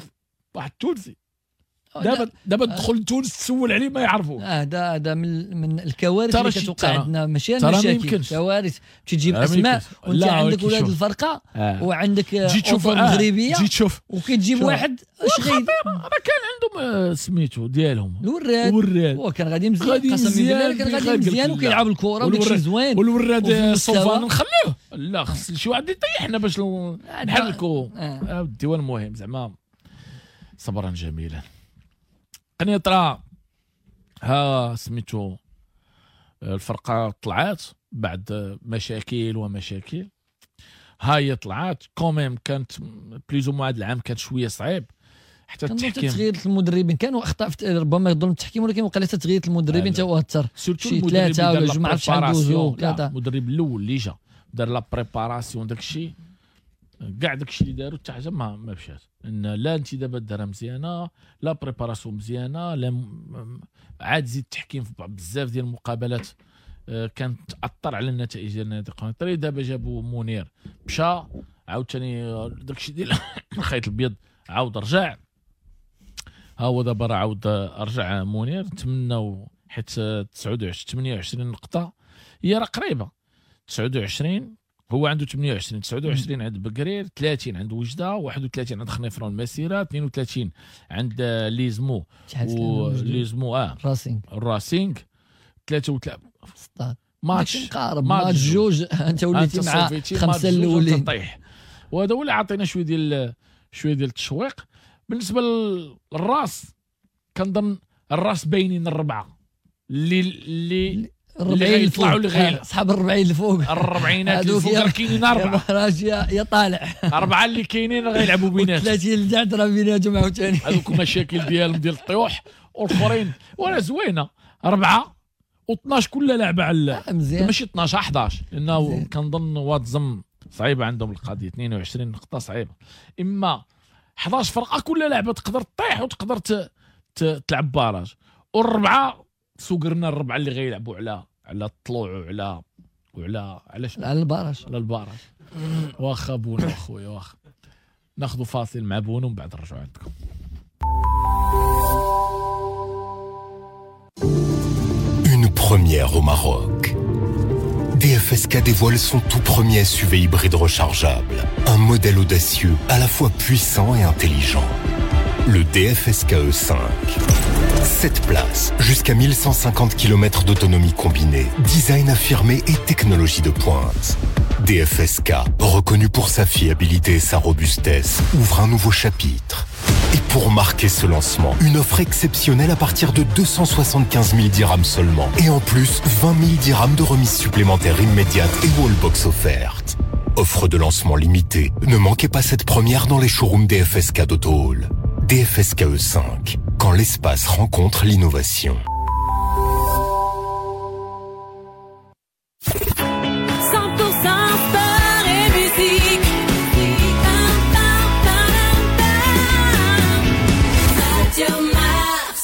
واحد تونسي. دابا دابا تدخل تونس تسول عليه ما يعرفوه. هذا هذا من من الكوارث اللي كتوقع عندنا، ماشي المشاكل، كوارث تجيب اسماء وانت عندك ولاد الفرقة آه. وعندك تجي تشوف المغربية تجي تشوف وكتجيب واحد اش غير. راه كان عندهم سميتو ديالهم الوراد، الوراد وكان غادي مزيان، قسما بالله كان غادي مزيان وكيلعب الكره وداكشي زوين. والوراد صوفان نخليوه، لا خص شي واحد يطيحنا باش نحركو الديوان. المهم زعما صبرا جميلا. قنيطرة ها سميتو الفرقة طلعات بعد مشاكل ومشاكل، ها هي طلعات quand même. كانت plus ou moins هذا العام كانت شوية صعيب حتى التحكيم، تغيير المدربين كانوا اخطاء ربما ظلم التحكيم، ولكن وقع تغيير المدربين تا هو اثر شي ثلاثة ولا جوج ما عرفتش شحال دوزو. المدرب الاول اللي جا دار la préparation داكشي كاع داكشي اللي داروا حتى حاجة ما ما مشات. ان لا انتدابات دارها مزيانه، لا préparation مزيانه، لا م... عاد زيد التحكيم في بزاف ديال المقابلات كانت تاثر على النتائج ديال النادي القنيطري. دابا جابوا منير مشى عاوتاني داكشي ديال الخيط الابيض عاود رجع، ها هو دابا راه عاود رجع منير. نتمناو حيت تسعة وعشرين ثمانية وعشرين نقطة هي راه قريبه، تسعة وعشرين هو عنده ثمانية وعشرين، تسعة وعشرين عند بكرير، ثلاثين عند وجده، واحد وثلاثين عند خنيفرة المسيرة، اثنين وثلاثين عند ليزمو ليزمو اه راسينغ الراسينغ ثلاثة وثلاثين ماتش ماتش جوج انت وليتي مع خمسة الاولين. وهذا هو اللي عطينا شوية ديال شوية ديال التشويق. بالنسبة للراس كنظن الراس باينين الربعه اللي اللي الربعين الفوق، اللي صحاب الربعين الفوق، الربعينات الفوق راه كاينين اربعة يا يا طالع اربعة اللي كاينين غيلعبوا بيناتهم، ثلاثين اللي تحت راه بيناتهم عاوتاني هذوك المشاكل ديالهم ديال الطيوح. والاخرين ولا زوينة اربعة واثناش كل لعبه على مزيان، ماشي اثناش احد عشر، لانه كنظن واتزم صعيبة عندهم القضية، اثنين وعشرين نقطة صعيبة. اما احد عشر فرقه كل لعبه تقدر تطيح وتقدر تلعب barrage، والربعه سوقرنا الربعه اللي غيلعبوا على على الطلوع وعلى وعلى على على ال barrage على ال barrage. واخا بونو اخويا، واخا ناخذ فاصل مع بونو ومن بعد نرجعوا عندكم. Une première au Maroc. D F S K dévoile son tout premier S U V hybride rechargeable, un modèle audacieux à la fois puissant et intelligent. Le D F S K E cinq. sept places, jusqu'à mille cent cinquante kilomètres d'autonomie combinée, design affirmé et technologie de pointe. D F S K, reconnu pour sa fiabilité et sa robustesse, ouvre un nouveau chapitre. Et pour marquer ce lancement, une offre exceptionnelle à partir de deux cent soixante-quinze mille dirhams seulement. Et en plus, vingt mille dirhams de remise supplémentaire immédiate et wallbox offerte. Offre de lancement limitée. Ne manquez pas cette première dans les showrooms D F S K d'Auto Hall. D F S K E cinq, quand l'espace rencontre l'innovation. cent pour cent sport et musique. Radio Mars.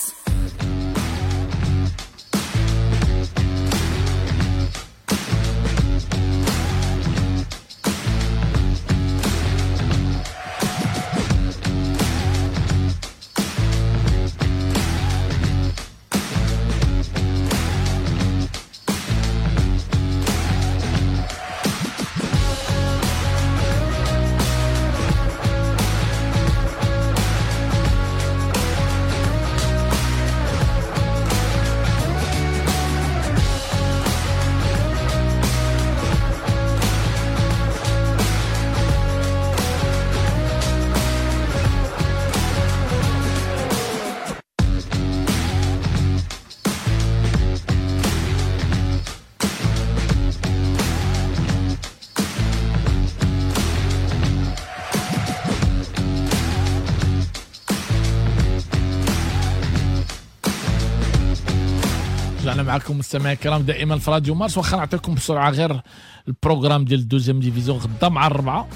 رجعنا معكم مستمعي الكرام دائما في راديو مارس. واخا نعطيكم بسرعة غير ال programme ديال ال deuxième division. غدا مع الربعه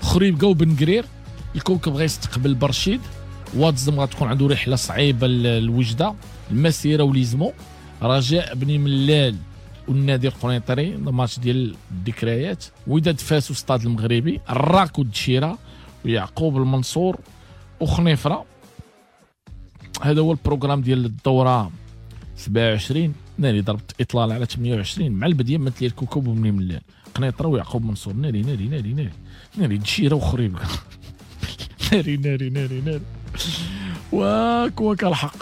خريبكا وبن قرير، الكوكب غيستقبل برشيد، واتزم غتكون عنده رحله صعيبة للوجده، المسيرة وليزمو، رجاء بني ملال والنادي القنيطري الماتش ديال الذكريات، وداد فاس وستاد المغربي، الراك والدشيره ويعقوب المنصور وخنيفره. هذا هو ال programme ديال الدورة سبعة وعشرين. ناري ضربت اطلال على ثمانية وعشرين مع البديه مثل الكوكب وبني ملال، قنيطره ويعقوب منصور. ناري ناري ناري ناري ناري دشيره وخريبكا. ناري ناري ناري ناري واك واك الحق.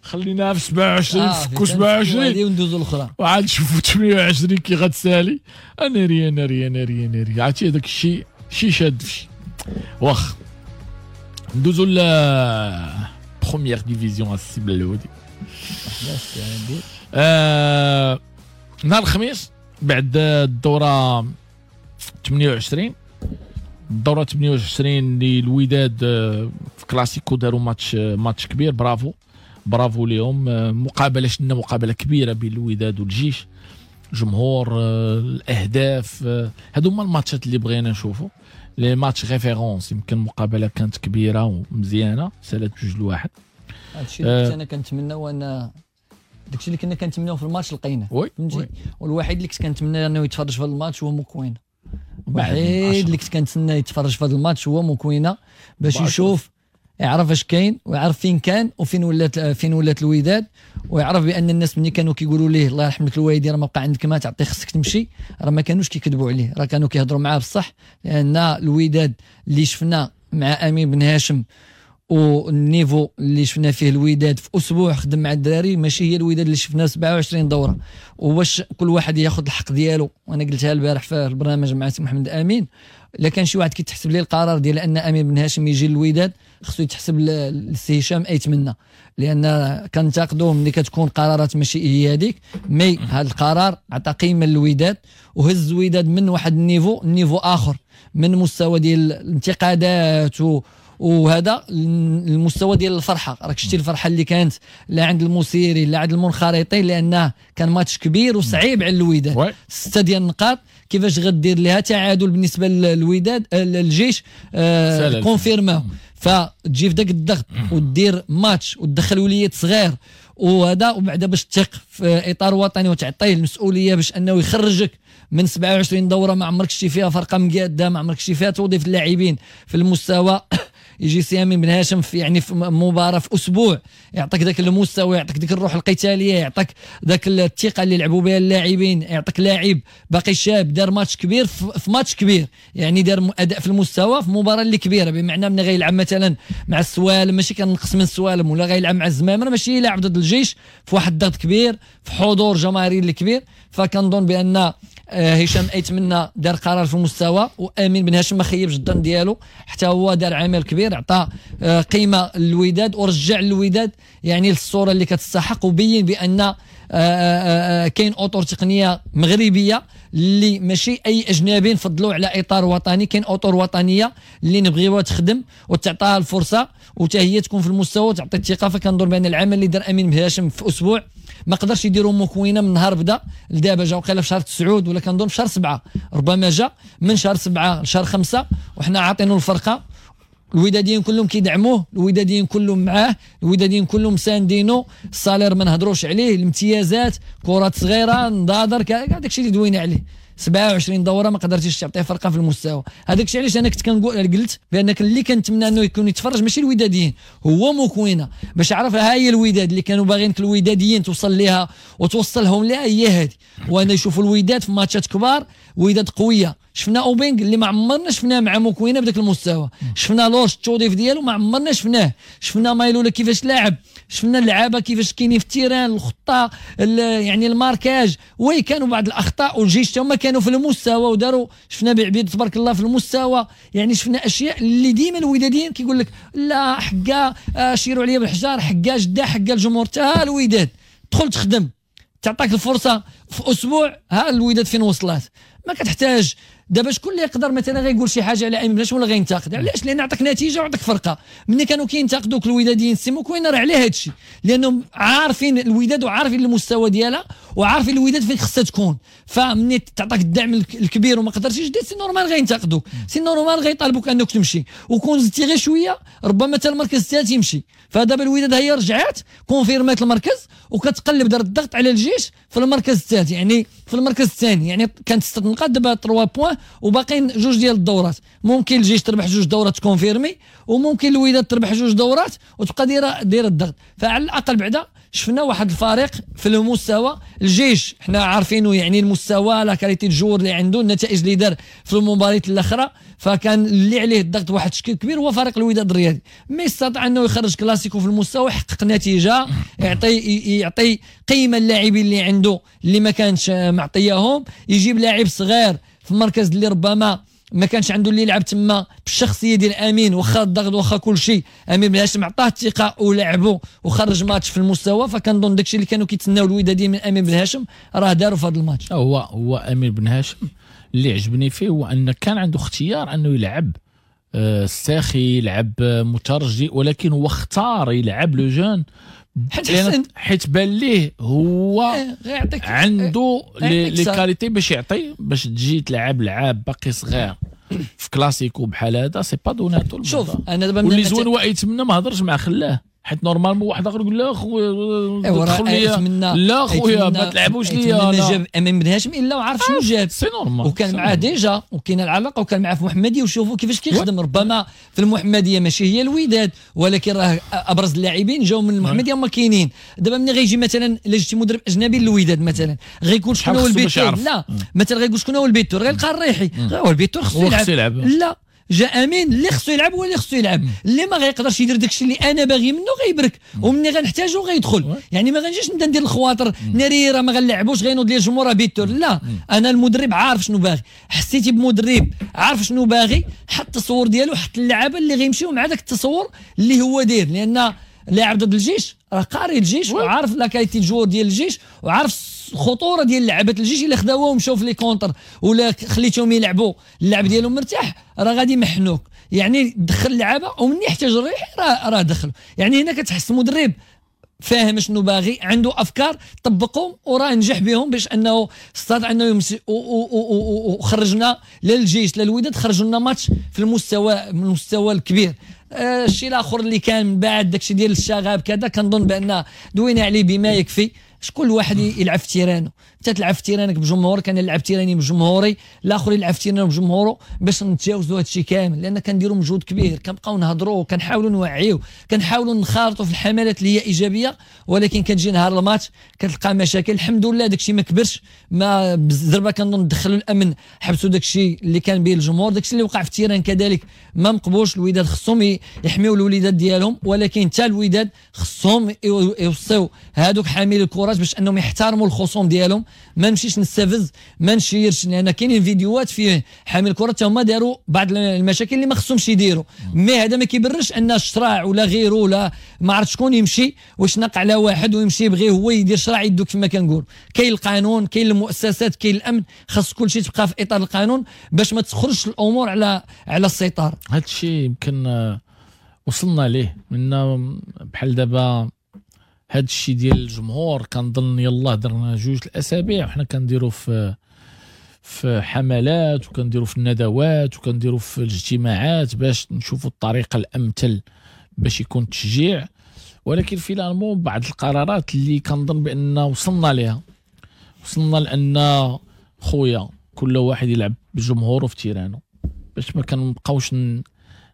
خلينا في سبعة وعشرين آه فكو سبعة وعشرين وندوزو الاخرى وعاد نشوفوا ثمانية وعشرين كي غتسالي. ناري ناري ناري ناري عرفتي هذاك الشيء شي شاد فشي. واخ ندوزو ل première division السي بلودي. آه نهار الخميس بعد الدورة ثمانية وعشرين، الدورة ثمانية وعشرين اللي الوداد في كلاسيكو داروا ماتش ماتش كبير. bravo bravo ليهم. مقابله شفنا مقابله كبيرة بين الوداد والجيش، جمهور، الاهداف، هادو هما الماتشات اللي بغينا نشوفوا، les matchs références. يمكن مقابله كانت كبيرة ومزيانه، سالت جوج لواحد. هادشي اللي كنت انا كنتمنى، وانا داكشي اللي كنا كنتمناو في الماتش لقيناه، فهمتي. والوحيد اللي كنت كنتمنى انه يتفرج في هذا الماتش هو موكوينه. الوحيد اللي كنت كنتسنى يتفرج في هذا الماتش هو موكوينه باش يشوف، يعرف اش كاين ويعرف فين كان وفين ولات فين ولات الوداد، ويعرف بان الناس ملي كانوا كيقولوا ليه الله يرحم لك الوالدين راه ما بقى عندك ما تعطي خصك تمشي، راه ما كانوش كيكذبوا عليه، راه كانوا كيهضروا معاه بصح. لان الوداد اللي شفنا مع امين بن هاشم وال niveau اللي شفنا فيه الوداد في اسبوع خدم مع الدراري ماشي هي الوداد اللي شفنا سبعة وعشرين دوره. وواش كل واحد ياخذ الحق ديالو، وانا قلتها البارح في البرنامج مع سي محمد امين، الا كان شي واحد كيتحسب ليه القرار ديال ان امين بن هاشم يجي للوداد خصو يتحسب للسي هشام ايتمنى، لان كنتقدوه ملي كتكون قرارات ماشي هي هذيك. mais هذا القرار عطى قيمة للوداد وهز الوداد من واحد ال niveau niveau اخر، من مستوى ديال الانتقادات و وهذا المستوى ديال الفرحة. راك شتي الفرحة اللي كانت لا عند المسيري لا عند المنخرطين، لانه كان ماتش كبير وصعيب على الوداد. ستة ديال النقاط كيفاش غدير لها تعادل بالنسبة للوداد الجيش آه confirmé، فتجي في ذاك الضغط ودير ماتش وتدخل وليد صغير وهذا، وبعدا باش تثق في اطار وطني وتعطيه المسؤولية باش انه يخرجك من سبعة وعشرين دوره ما عمرك شتي فيها فرقه مقاده، ما عمرك شتي فيها توظيف اللاعبين في المستوى. يجي سي امين بن هاشم في يعني في مباراة في اسبوع يعطيك ذاك المستوى، يعطيك ذيك الروح القتالية، يعطيك ذاك الثقة اللي لعبوا بها اللاعبين، يعطيك لاعب باقي شاب دار ماتش كبير في ماتش كبير، يعني دار اداء في المستوى في مباراة اللي كبيرة. بمعنى من غيلعب مثلا مع السوالم ماشي كنقص من السوالم، ولا غيلعب مع الزمامره ماشي يلعب ضد الجيش في واحد الضغط كبير في حضور جماهيري اللي كبير. فكنظن بان هشام ايتمنى دار قرار في المستوى، وامين بن هاشم ما خيبش الظن ديالو، حتى هو دار عمل كبير، عطى قيمة للوداد ورجع الوداد يعني للصورة اللي كتستحق، وبين بان كاين اطر تقنية مغربية اللي ماشي اي اجنبي نفضلوا على اطار وطني، كاين اطر وطنية اللي نبغيوها تخدم وتعطيها الفرصة وحتى هي تكون في المستوى وتعطي الثقة. فكنظن بان العمل اللي دار امين بن هاشم في اسبوع ما قدرش يديروا مكوينه من نهار بدا لدابا، جا وقيله في شهر تسعود ولا كنظن في شهر سبعة، ربما جا من شهر سبعة لشهر خمسة، وحنا عاطينه الفرقة. الوداديين كلهم كيدعموه، الوداديين كلهم معاه، الوداديين كلهم ساندينو، ال salaire ما نهضروش عليه، الامتيازات، كرات صغيرة، نضادر، كاع داكشي اللي دوينا عليه. سبعة وعشرين دوره ما قدرتيش تعطيه فرقه في المستوى. هذاك الشيء علاش انا كنت كنقول قلت بانك اللي كنتمنى انه يكون يتفرج ماشي الوداديين، هو موكوينه باش يعرف ها هي الوداد اللي كانوا باغيين الوداديين توصل ليها وتوصلهم لها هي هذه. وانا يشوفوا الوداد في ماتشات كبار، وداد قوية. شفنا اوبينغ اللي ما عمرنا شفناه مع موكوينه بداك المستوى، شفنا لورش التوظيف ديالو ما عمرنا شفناه، شفنا مايلولا كيفاش لاعب، شفنا اللعابه كيفاش كاينين في ال terrain، الخطة، يعني ال marquage، oui كانوا بعض الاخطاء والجيش هما كانوا في المستوى وداروا، شفنا بعبيد تبارك الله في المستوى. يعني شفنا اشياء اللي ديما الوداديين كيقول لك لا حكا شيروا عليا بالحجار، حكا جدا، حكا الجمهور. تا الوداد دخل تخدم، تعطاك الفرصة في اسبوع، ها الوداد فين وصلت. ما كتحتاج دابا شكون اللي يقدر مثلا غيقول شي حاجة على امين بن هاشم ولا غينتقد؟ علاش؟ لان عطاك نتيجة وعطاك فرقه. ملي كانوا كينتقدوك الوداديين سي موكوينا راه على هذا الشيء، لانهم عارفين الوداد وعارفين المستوى ديالها وعارفين الوداد فين خصها تكون. فمني تعطاك الدعم الكبير وما قدرتيش دير، c'est normal غينتقدوك، c'est normal غيطالبوك انك تمشي، وكون زدتي غير شوية ربما حتى المركز الثالث يمشي. فدابا الوداد هي رجعات confirmات المركز وكتقلب دار الضغط على الجيش في المركز الثالث، يعني في المركز الثاني، يعني كانت ستة نقاط دابا ثلاثة points وباقيين جوج ديال الدورات. ممكن الجيش تربح جوج دورات confirmer، وممكن الوداد تربح جوج دورات وتبقى دايرة دايرة الضغط. فعلى الاقل بعدا شفنا واحد الفريق في المستوى. الجيش حنا عارفينه، يعني المستوى la qualité de joueurs اللي عنده، النتائج اللي دار في المباريات الاخرى، فكان اللي عليه الضغط واحد الشكل كبير هو فريق الوداد الرياضي. mais استطاع انه يخرج كلاسيكو في المستوى، يحقق نتيجة، يعطي يعطي قيمة للاعبين اللي عنده اللي ما كانش معطياهم، يجيب لاعب صغير في المركز اللي ربما ما كانش عنده اللي يلعب تما بالشخصية ديال امين، واخا الضغط واخا كل شيء، امين بن هاشم عطاه الثقة ولعبه وخرج ماتش في المستوى. فكنظن داكشي اللي كانوا كيتسناو الوداديين من امين بن هاشم راه داروا في هذا الماتش. هو هو امين بن هاشم اللي عجبني فيه هو ان كان عنده اختيار انه يلعب الساخي، يلعب مترجي، ولكن هو اختار يلعب le jeune حيت حيت بان ليه هو عنده les qualités باش يعطي، باش تجي تلعب لعاب باقي صغير في كلاسيكو بحال هذا c'est pas donné à tout. شوف انا دابا واللي زوين هو يتمنى ما هضرش مع خلاه، حيت normalement واحد اخر يقول لا خويا دخل ليا، لا خويا ما تلعبوش ليا. ما جاب امين بن هاشم الا وعرف شنو جاب، c'est normal، وكان معاه déjà وكاين العلاقة وكان معاه في المحمدية وشوفوا كيفاش كيخدم. ربما في المحمدية ماشي هي الوداد، ولكن راه ابرز اللاعبين جاوا من المحمدية هما كاينين. دابا ملي غيجي مثلا الا جبتي مدرب اجنبي للوداد مثلا غيكون شكون هو ال buteur؟ لا مثلا غيقول شكون هو ال buteur؟ غيلقى الريحي، هو ال buteur خصو يلعب. لا جا امين اللي خصو يلعب هو اللي خصو يلعب، اللي ما غيقدرش يدير داكشي اللي انا باغي منه غيبرك، ومني غنحتاجو غيدخل. يعني ما غنجيش نبدا ندير الخواطر ناري راه ما غنلعبوش غينوض لي الجمهور buteur. لا، انا المدرب عارف شنو باغي، حسيتي بمدرب عارف شنو باغي، حط التصور ديالو، حط اللعابه اللي غيمشيو مع داك التصور اللي هو داير. لان لاعب ضد الجيش راه قاري الجيش وعارف la qualité joueurs ديال الجيش وعارف الخطورة ديال لعبه الجيش. الا خداوهم ومشاو في les contres ولا خليتهم يلعبوا اللعب ديالهم مرتاح راه غادي يمحنوك. يعني دخل اللعابه ومن يحتاج الريح راه راه دخلوا. يعني هنا كتحس المدرب فاهم شنو باغي، عنده افكار طبقهم وراه نجح بهم باش انه استطاع انه يمشي. وخرجنا لا الجيش لا الوداد، خرجوا لنا ماتش في المستوى من المستوى الكبير. الشيء الاخر اللي كان من بعد داكشي ديال الشغب كذا، كنظن بان دوينا عليه بما يكفي. شكون الواحد يلعب في terrain و، انت تلعب في terrain ك بجمهورك، انا نلعب terrain ي بجمهوري، الاخر يلعب في terrain و بجمهوره، باش نتجاوزوا هذا الشيء كامل. لان كنديروا مجهود كبير، كنبقاو نهضروا، كنحاولوا نوعيو، كنحاولوا نخارطوا في الحملات اللي هي ايجابية، ولكن كتجي نهار الماتش كتلقى مشاكل. الحمد لله داك الشيء ما كبرش، ما بالزربه كنظن دخلوا الامن، حبسوا داك الشيء اللي كان به الجمهور. داك الشيء اللي وقع في terrain كذلك ما مقبولش. الوداد خصهم يحميوا الوليدات ديالهم، ولكن حتى الوداد خصهم يوصيو هادوك حاملي الكرات باش انهم يحترموا الخصوم ديالهم. ما نمشيش نستفز، ما نشيرش، لان كاينين فيديوهات فيه حامل الكره حتى هما داروا بعض المشاكل اللي ما خصهمش يديروا. mais هذا ما كيبرش ان الشراع ولا غيره ولا ما عرفت شكون يمشي ويشنق على واحد ويمشي يبغي هو يدير شراع يدو. كما كنقول كاين القانون، كاين المؤسسات، كاين الامن، خاص كل شيء تبقى في اطار القانون باش ما تخرجش الامور على على السيطرة. هذا الشيء يمكن وصلنا ليه من بحال دابا هاد الشيء ديال الجمهور. كنظن يلاه درنا جوج الاسابيع وحنا كنديروا في في حملات وكنديروا في الندوات وكنديروا في الاجتماعات باش نشوفوا الطريقة الامثل باش يكون التشجيع. ولكن finalement بعض القرارات اللي كنظن بان وصلنا لها، وصلنا لان خويا كل واحد يلعب بجمهوره في terrain و باش ما كنبقاوش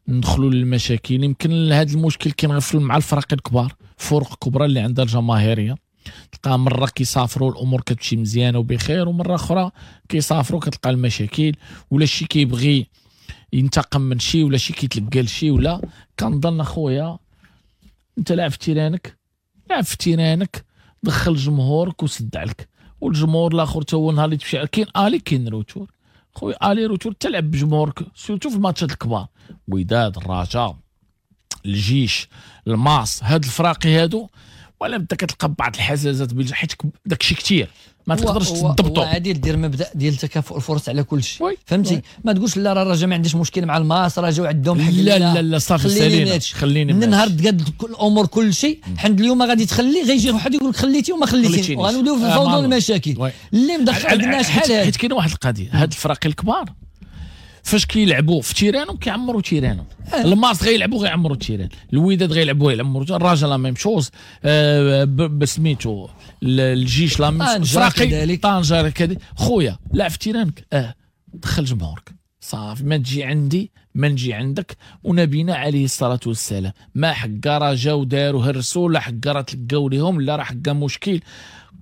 ندخلوا للمشاكل. يمكن هذا المشكل كاين غير مع الفرق الكبار، فرق كبرى اللي عندها الجماهيرية، تلقى مرة كيسافروا الامور كتمشي مزيانه وبخير، ومرة اخرى كيسافروا كتلقى المشاكل، ولا شي كيبغي ينتقم من شي، ولا شي كيتلقى لشي. ولا كنظن اخويا انت لاعب في terrain ك، لعب في terrain ك، دخل جمهورك وسد عليك. والجمهور الاخر تا هو نهار اللي تمشي كاين aller كاين retour خويا، aller retour تلعب بجمهورك surtout في الماتشات الكبار، وداد، الرجاء، الجيش، الماس، هاد الفراقي هادو. ولا بدا كتلقى بعض الحزازات حيت داك الشيء كثير ما تقدرش تضبطو. عادل دير مبدا ديال تكافؤ الفرص على كل شيء، فهمتي؟ ما تقولش لا راه الرجاء ما عنديش مشكل مع الماس، راه جاو عندهم حق. لا لا لا صافي سالينا، خليني من نهار تقاد الامور كل شيء. حد اليوم غادي تخلي غيجي واحد يقول لك خليتي وما خليتيش، وغنوليو في الفوضى والمشاكل اللي مدخل عندنا شحال هاد. حيت كاينه واحد القضية، هاد الفراقي الكبار فاش كيلعبوا في terrain هم كيعمروا terrain هم، آه. الماس غيلعبوا غيعمروا terrain، الوداد غيلعبوا يعمروا، الرجاء la même chose، آه بسميتو الجيش la même chose، فراقي طنجه كذا. خويا لعب في terrain ك، اه دخل جمهورك صافي، ما تجي عندي ما نجي عندك. ونبينا عليه الصلاة والسلام ما حقا راه جاو داروا هرسوا، لا حقا راه تلقاو ليهم، لا راه حقا مشكل.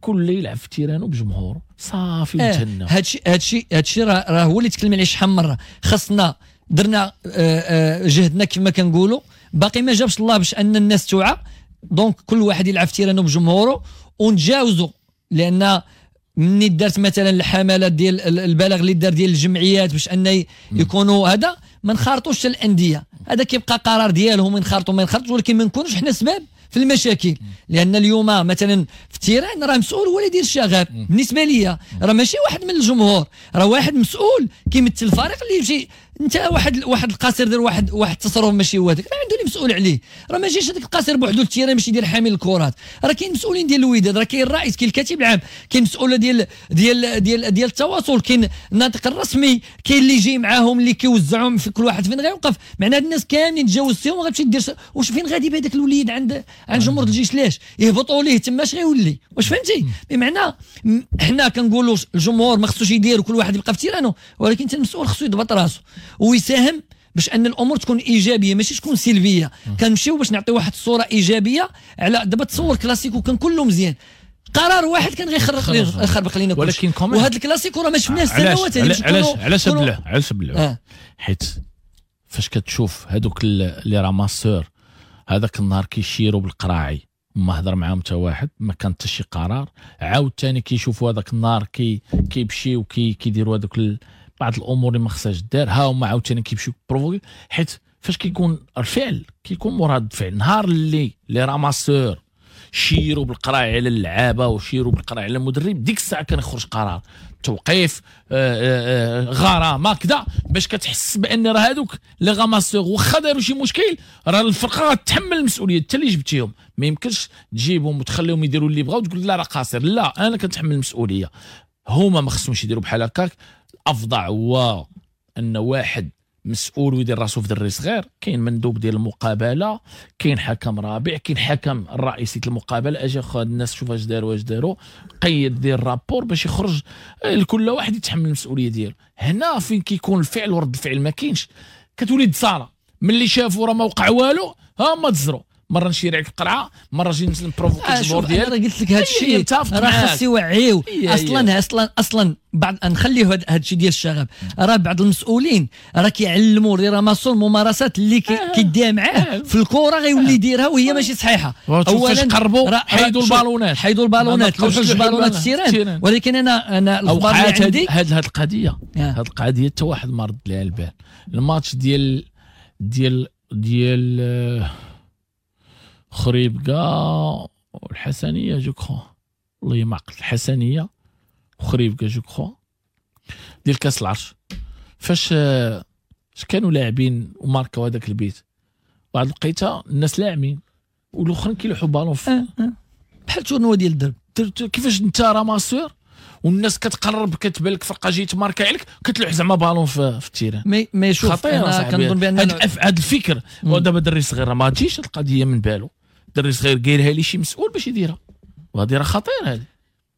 كل يلعب في terrain و بجمهوره صافي وتهنى. هادشي هادشي هادشي راه راه هو اللي تكلم عليه شحال من مرة. خصنا درنا جهدنا كما كنقولوا، باقي ما جابش الله باش ان الناس توعى. donc كل واحد يلعب في terrain و بجمهوره ونتجاوزوا، لان مني دارت مثلا الحملات ديال البلاغ اللي دار ديال الجمعيات باش ان يكونوا هذا، ما نخارطوش الاندية، هذا كيبقى قرار ديالهم ينخرطوا ما ينخرطوش، ولكن ما نكونوش حنا سبب في المشاكل. لان اليوم مثلا في ال terrain راه مسؤول هو اللي يدير الشغب. بالنسبة ليا راه ماشي واحد من الجمهور، راه واحد مسؤول كيمثل الفريق اللي يمشي. انت واحد واحد القاصر دار واحد واحد التصرف ماشي هو هذاك، راه عنده اللي مسؤول عليه. راه ما جاش هذاك القاصر بوحدو لل terrain باش يدير حامل الكرات، راه كاين مسؤولين ديال الوداد، راه كاين الرئيس، كاين الكاتب العام، كاين مسؤولة ديال ديال ديال ديال التواصل، كاين الناطق الرسمي، كاين اللي جاي معاهم اللي كيوزعهم في كل واحد فين غيوقف. معناها هاد الناس كاملين تجاوزتيهم وغتمشي دير واش فين غادي بهذاك الوليد عند عند جمهور الجيش؟ لاش يهبطوا ليه تما اش غيولي؟ واش فهمتي؟ بمعنى حنا كنقولوا الجمهور ما خصوش يدير وكل واحد يبقى في terrain و، ولكن حتى المسؤول خصو يضبط راسو ويساهم باش ان الامور تكون ايجابية ماشي تكون سلبية. كنمشيو باش نعطيو واحد الصورة ايجابية على دابا. تصور كلاسيكو كان كله مزيان، قرار واحد كان غيخرق يخربق لينا كلشي. ولكن وهذا الكلاسيكو راه ما شفناهش سنوات. علاش علاش علاش بلع علاش بلع؟ حيت فاش كتشوف هذوك les ramasseurs هذاك النهار كيشيروا بالقراعي، ما هضر معاهم حتى واحد، ما كان حتى شي قرار. عاود ثاني كيشوفوا هذاك النهار كي كيمشيو كي كيديروا هذوك بعض الامور اللي ما خصهاش دار، ها هما عاوتاني كيمشيو provoquer. حيت فاش كيكون الفعل كيكون مراد الفعل. نهار اللي les ramasseurs شيروا بالقراعي على اللعابه وشيروا بالقراعي على المدرب، ديك الساعة كان يخرج قرار توقيف، آآ آآ غرامة كذا، باش كتحس بان راه هذوك les ramasseurs واخا داروا شي مشكل راه الفرقة غتحمل المسؤولية حتى اللي جبتيهم. ما يمكنش تجيبهم وتخليهم يديروا اللي بغاو وتقول لا راه قاصر، لا انا كنتحمل المسؤولية. هما ما خصهمش يديروا بحال هكاك. الافضع هو ان واحد مسؤول ويدير راسو في دري صغير. كاين مندوب ديال المقابلة، كاين حكم رابع، كاين حكم الرئيسي المقابلة. اجي اخو هاد الناس شوف اش داروا اش داروا، قيد دير rapport باش يخرج لكل واحد يتحمل المسؤولية ديالو. هنا فين كيكون الفعل ورد الفعل ما كاينش، كتولي تصارى. ملي شافوا راه ما وقع والو ها ما تزروا، مرة نشير عليك القرعة، مرة نجي ن provoquer الجمهور ديالك. انا قلت لك هذا الشيء راه خاص يوعيو اصلا اصلا اصلا بعد نخليو هذا الشيء ديال الشغب. راه بعض المسؤولين راه كيعلموا les ramasseurs الممارسات اللي كيديها معاه في الكره غيولي يديرها وهي ماشي صحيحه. اولا قربوا حيدوا البالونات، حيدوا البالونات، لوحوا البالونات ال terrain. ولكن انا انا الاخبار اللي عندي هذه هذه القضية، هذه القضية حتى واحد ما رد لها البال. الماتش ديال ديال ديال خريبكا والحسنيه je crois، والله ما عقلت، الحسنيه وخريبكا je crois ديال كاس العرش، فاش اش كانوا لاعبين وماركاو هذاك البيت، واحد الوقيته الناس لاعبين والاخرين كيلوحوا بالون في آه آه. بحال tournoi ديال الدرب. كيفاش انت ramasseur والناس كتقرب كتبان لك فرقه جاية ماركة عليك كتلوح زعما بالون في, في ال terrain. mais mais شوف خطير كنظن بان هذا الفكر. ودابا دري صغير ما تجيش القضية من بالو، دري صغير قايلها لي شي مسؤول باش يديرها، وهذه راه خطير هذه.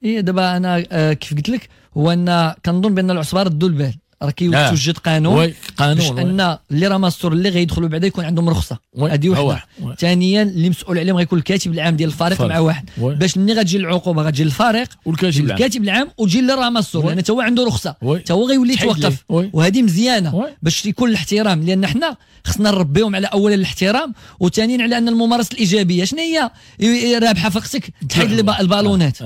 اي دابا انا آه كيف قلت لك هو ان كنظن بان العصبة ردوا البال، راه كيتوجد قانون قانون باش ان les ramasseurs اللي غيدخلوا بعدا يكون عندهم رخصه، هذه وحده. ثانيا اللي مسؤول عليهم غيكون الكاتب العام ديال الفريق مع واحد، باش ملي غتجي العقوبة غتجي للفريق والكاتب العام، الكاتب العام وتجي لل ramasseur، لان حتى هو عنده رخصه، حتى هو غيولي يتوقف. وهذه مزيانه باش يكون الاحترام، لان حنا خصنا نربيهم على اولا الاحترام، وثانيا على ان الممارسة الايجابية. شنو هي رابحه فقتك تحيد البالونات.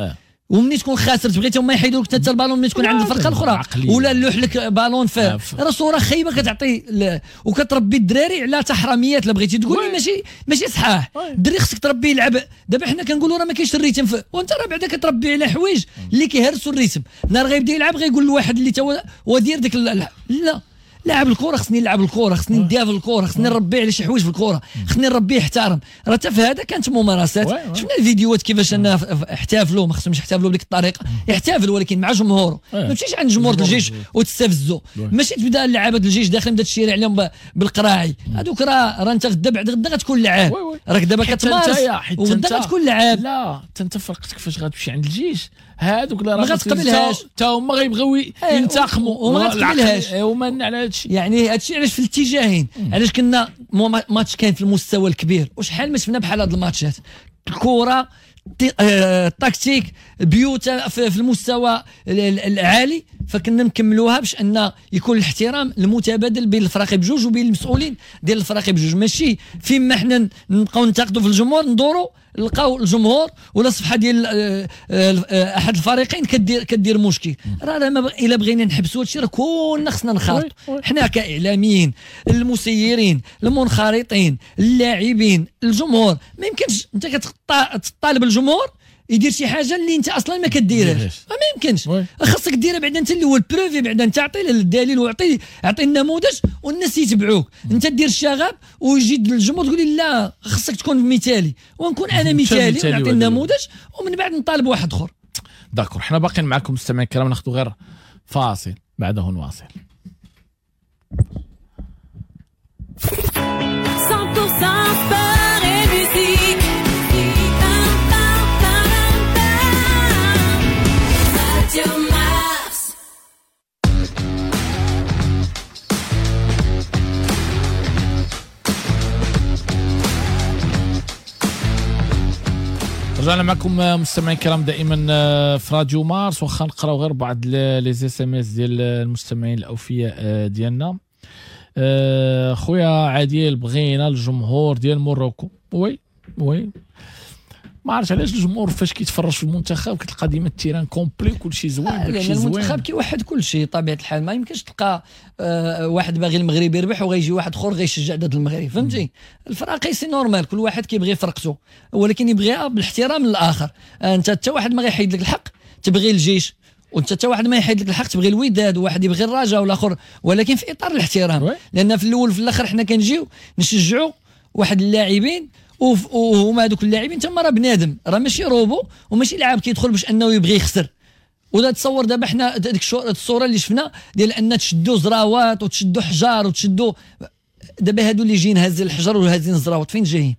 ومني تكون خاسر تبغي هما يحيدوا لك حتى البالون ملي تكون عند الفرقة الاخرى ولا لوح لك بالون في راه صوره خايبة كتعطي ل... وكتربي الدراري على تحرميات. لا بغيتي تقول لي ماشي ماشي صحاح، الدري خصك تربيه يلعب. دابا حنا كنقولوا راه ما كاينش ال rythme ف... وانت راه بعدا كتربي على حوايج اللي كيهرسوا ال rythme. نهار غيبدا يلعب غيقول لواحد اللي تا هو دير ديك ال... لا لاعب الكره خصني نلعب الكره، خصني نديها في الكره، خصني نربي على شي حوايج في الكره، خصني نربيه يحترم. راه حتى في هذا كانت ممارسات، شفنا الفيديوهات كيفاش ان احتفلوا، ما خصهمش يحتفلوا بديك الطريقة، يحتفل ولكن مع جمهوره، ما تمشيش عند جمهور الجيش وتستفزو، ماشي تبدا اللعابه الجيش داخلين بدا تشير عليهم بالقراعي، هذوك راه راه انت غدا بعد غدا غتكون لعاب، راك دابا كتمارس وغدا غتكون لعاب. لا حتى انت فرقتك فاش غتمشي عند الجيش هادوك اللي راه ما غتقبلهاش حتى هما غيبغيو ينتقموا وما غتقبلهاش. وما على هادشي يعني هادشي علاش في الاتجاهين، علاش كنا ماتش كاين في المستوى الكبير وشحال ما شفنا بحال هاد الماتشات، الكره التكتيك بيوت في المستوى العالي، فكنا نكملوها باش ان يكون الاحترام المتبادل بين الفرق بجوج وبين المسؤولين ديال الفرق بجوج، ماشي فيما حنا نبقاو ننتقدوا في الجمهور ندوروا لقاو الجمهور ولا صفحة ديال احد الفريقين كدير كدير مشكل. راه الا بغينا نحبسوا هادشي راه كلنا خصنا نخاطوا، حنا كاعلاميين، المسيرين، المنخرطين، اللاعبين، الجمهور. ما يمكنش انت كتطالب الجمهور يدير شي حاجة اللي انت اصلا ما كديرهاش، ما يمكنش. خاصك ديرها بعدا انت الاول، prouver بعدا، انت عطي الدليل وعطي عطي النموذج والناس يتبعوك. انت دير الشغب ويجي الجمهور تقول لي لا خاصك تكون مثالي، ونكون انا مثالي ونعطي النموذج ومن بعد نطالب واحد اخر. d'accord، حنا باقيين معكم مستمعين الكرام، ناخذ غير فاصل بعده نواصل. cent pour cent sport et musique. Radio Mars. رجعنا معكم مستمعين الكرام دائما في راديو مارس، واخا نقراو غير بعض les SMS ديال المستمعين الاوفياء ديالنا. خويا عادل بغينا الجمهور ديال موروكو. oui oui ما عرفتش علاش الجمهور فاش كيتفرج في المنتخب كتلقى ديما ال terrain complet كلشي زوين، لان المنتخب كيوحد كلشي طبيعة الحال. ما يمكنش تلقى آه واحد باغي المغرب يربح وغيجي واحد اخر غيشجع ضد المغرب، فهمتي؟ الفراقي c'est normal، كل واحد كيبغي فرقته ولكن يبغيها بالاحترام للاخر. آه انت حتى واحد ما غيحيد لك الحق تبغي الجيش، وانت حتى واحد ما يحيد لك الحق تبغي الوداد، وواحد يبغي الرجاء والاخر، ولكن في اطار الاحترام. لان في الاول في الاخر حنا كنجيو نشجعوا واحد اللاعبين وهما هذوك اللاعبين تما راه بنادم، راه ماشي روبو وماشي لاعب كيدخل باش انه يبغي يخسر. ولا تصور دابا حنا ديك الصورة اللي شفنا ديال ان تشدوا زراوات وتشدوا حجار وتشدوا، دابا هادو اللي جايين هازين الحجر وهازين الزراوات فين جايين؟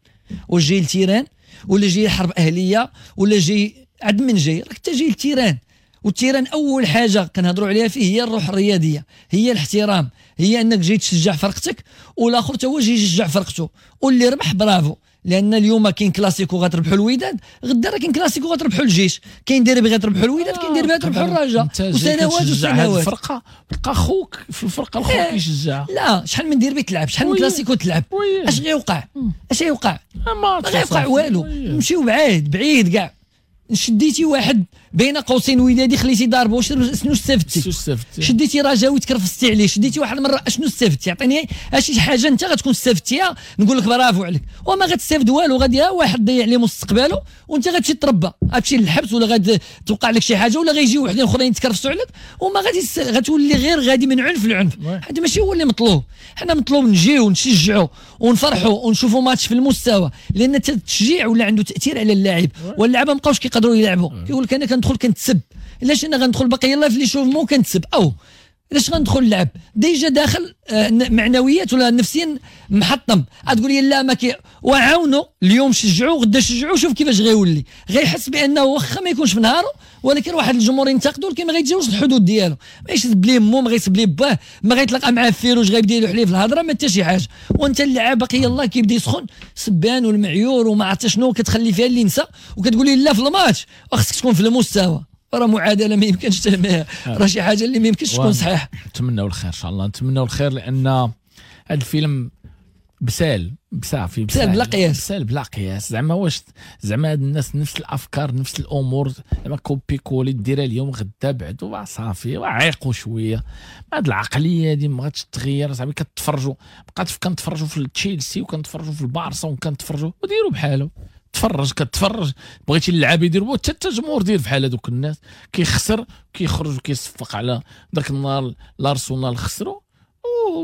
واش جاي ال terrain ولا جاي حرب اهليه ولا جاي عند من جاي؟ راك انت جاي ال terrain، وال terrain اول حاجة كنهضروا عليها فيه هي الروح الرياضية، هي الاحترام، هي انك جاي تشجع فرقتك والاخر حتى هو جاي يشجع فرقته، واللي ربح برافو. لان اليوم كاين كلاسيكو غتربحوا الوداد، غدا راه كاين كلاسيكو غتربحوا الجيش، كاين ديربي غتربحوا الوداد، كاين ديربي غتربحوا الرجاء، وسنوات وسنوات. الفرقة تلقى خوك في الفرقة الاخرى كيشجع. لا شحال من ديربي تلعب، شحال من كلاسيكو تلعب، اش غيوقع؟ اش غيوقع؟ ما غيوقع والو. نمشيو بعيد بعيد كاع. شديتي واحد بين قوسين ودادي خليتي ضاربه، شنو استفدتي؟ شديتي رجاوي تكرفستي عليه، شديتي واحد المرة اشنو استفدتي؟ عطيني شي حاجة انت غتكون استفدتيها نقول لك برافو عليك، وما غتستافد والو، غادي واحد ضيع ليه مستقبله وانت غتمشي تربى، غتمشي للحبس ولا غتوقع لك شي حاجة ولا غيجيو وحدين اخرين يتكرفسوا عليك، وما غادي غتولي غير غادي من عنف لعنف. هذا ماشي هو اللي مطلوب. حنا مطلوب نجيو ونشجعوا ونفرحوا ونشوفوا ماتش في المستوى، لان التشجيع ولا عنده تاثير على اللاعب، واللعابه ما بقاوش كيقدروا يلعبوا. كيقول لك انا كندخل كنتسب، علاش انا غندخل باقي يلاه في l'échauffement كنتسب، او علاش غندخل نلعب déjà داخل معنويات ولا نفسيا محطم، غتقول لي لا ما كي وعاونوا اليوم شجعوا غدا شجعوا، شوف كيفاش غيولي، غيحس بانه واخا ما يكونش في نهاره ولكن واحد الجمهور ينتقدوا ولكن ما غيتجاوزش الحدود ديالو، ما يسب ليه مو، ما غيسب ليه باه، ما غيتلاقى معاه فيروج غيبدا يلوح ليه في الهضرة، ما حتى شي حاجة. وانت اللاعب باقي يلاه كيبدا يسخن سبان والمعيور وما عرفت شنو، كتخلي فيها اللي نسى وكتقول لي لا في الماتش خصك تكون في المستوى. راه معادلة ما يمكنش، راه شي حاجة اللي ما يمكنش تكون صحيحه. نتمناو الخير ان شاء الله، نتمناو الخير، لان هذا الفيلم بسال بصافي بسال بلا قياس، بسال بلا قياس. زعما واش زعما هاد الناس نفس الافكار نفس الامور، زعما copier coller ديرها اليوم غدا بعد صافي، وعيقوا شوية. هاد العقلية هادي ما غاتش تغير صاحبي. كتفرجوا بقات كنتفرجوا في تشيلسي وكنتفرجوا في البارسا وكنتفرجوا وديروا بحالو. تفرج كتفرج، بغيتي اللعاب يدير حتى الجمهور دير بحال هذوك الناس، كيخسر كيخرج وكيصفق على ذاك النهار. الارسنال خسروا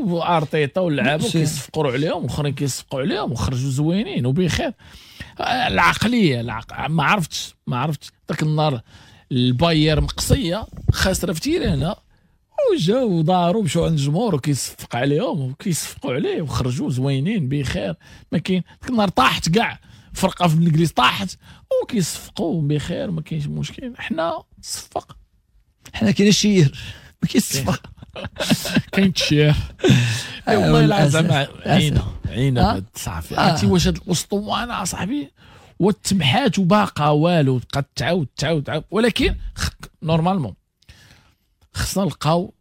وارتيتا واللعابه كيصفقوا عليهم والاخرين كيصفقوا عليهم وخرجوا زوينين وبخير. العقلية العق... ما عرفتش ما عرفتش ذاك النهار الباير مقصيه خاسرة في تيرانا وجاو وداروا مشاو عند الجمهور وكيصفق عليهم وكيصفقوا عليه وخرجوا زوينين بخير. ما كاين ذاك النهار طاحت كاع فرقه في الانجليز طاحت وكيصفقوا بخير، ما كاينش مشكل. حنا صفق، حنا كاين الشير ما كيصفق، كاين التشير. والله العظيم زعما عينا عينا صافي. عرفتي واش هاد الاسطوانة صاحبي وتمحات وباقا والو، بقات تعاود تعاود تعاود. ولكن normalement خصنا نلقاو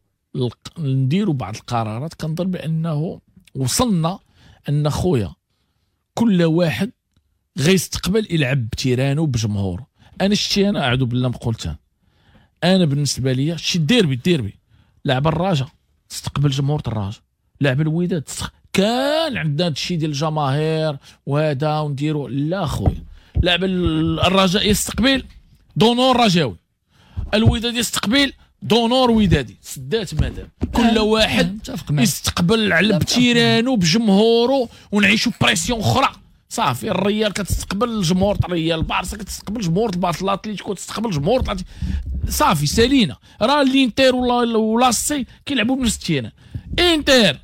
نديروا بعض القرارات. كنظن بانه وصلنا ان خويا كل واحد غيستقبل يلعب بتيرانو بجمهوره. انا شتي انا اعوذ بالله ما قلتها، انا بالنسبة لي شي ديربي ديربي لعب الرجاء تستقبل جمهور الرجاء، لعب الوداد تستق... كان عندنا هادشي ديال الجماهير وهذا ونديرو. لا خويا، لعب الرجاء يستقبل d'honneur رجاوي، الوداد يستقبل d'honneur ودادي. سدات مادام كل واحد يستقبل على بتيرانو بجمهوره ونعيشوا pression اخرى. صافي الريال كتستقبل الجمهور تاع الريال، البارسا كتستقبل جمهور البارسا، الاتليتيكو تستقبل جمهور الاتليتيكو. صافي سالينا. راه الانتر ولا ولا سي كيلعبوا بنفس ال terrain. انتر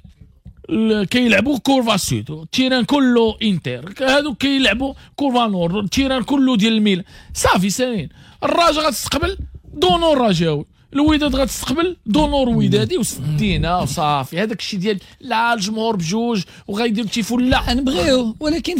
كيلعبوا curva sud، ال terrain كله انتر، هادو كيلعبوا curva nord، ال terrain كله ديال الميلان. صافي سالين. الرجاء غتستقبل d'honneur رجاوي، الوداد غتستقبل d'honneur ودادي، وسدينا وصافي. هذاك الشيء ديال لا الجمهور بجوج وغيديروا تيفو، لا نبغيو ولكن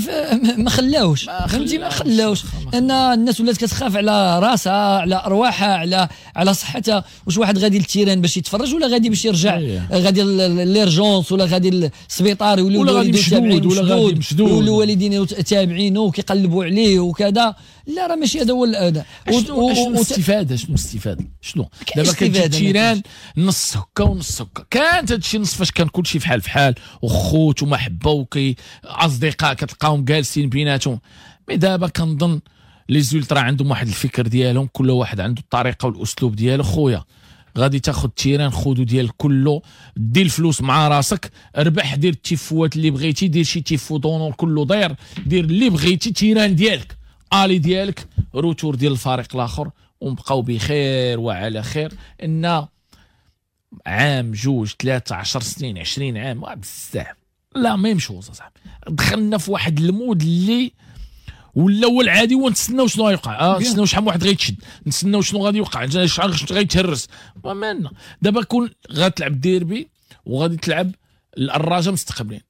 ما خلاوش، فهمتي؟ ما خلاوش لان الناس ولات كتخاف على راسها، على ارواحها، على على صحتها. واش واحد غادي لل terrain باش يتفرج ولا غادي باش يرجع غادي l'urgence ولا غادي للسبيطار ولا غادي مشدود ولا غادي مشدود ولا الوالدين تابعينه وكيقلبوا عليه وكذا. لا راه ماشي هذا هو هذا. شنو الاستفادة؟ شنو الاستفادة؟ شنو دابا كتجي terrain نص هكا ونص هكا؟ كانت هادشي نص فاش كان كلشي فحال فحال وخوت ومحبه وكي اصدقاء كتلقاهم جالسين بيناتهم. mais دابا كنظن les ultras عندهم واحد الفكر ديالهم، كل واحد عنده الطريقة والاسلوب ديالو. خويا غادي تاخذ terrain خذو ديال كله، دير الفلوس مع راسك، ربح، دير التيفوات اللي بغيتي، دير شي tifo d'honneur كله داير، دير اللي بغيتي، terrain ديالك، aller ديالك، retour ديال الفريق الاخر، ونبقاو بخير وعلى خير. ان عام جوج ثلاثة عشر سنين عشرين عام بزاف la même chose اصاحبي. دخلنا في واحد ال mode اللي ولا هو العادي، ونتسناو شنو غيوقع، اه نتسناو شحال من واحد غيتشد، نتسناو شنو غادي يوقع، شحال غيتهرس. مالنا دابا كون غتلعب ديربي وغادي تلعب الرجاء مستقبلين،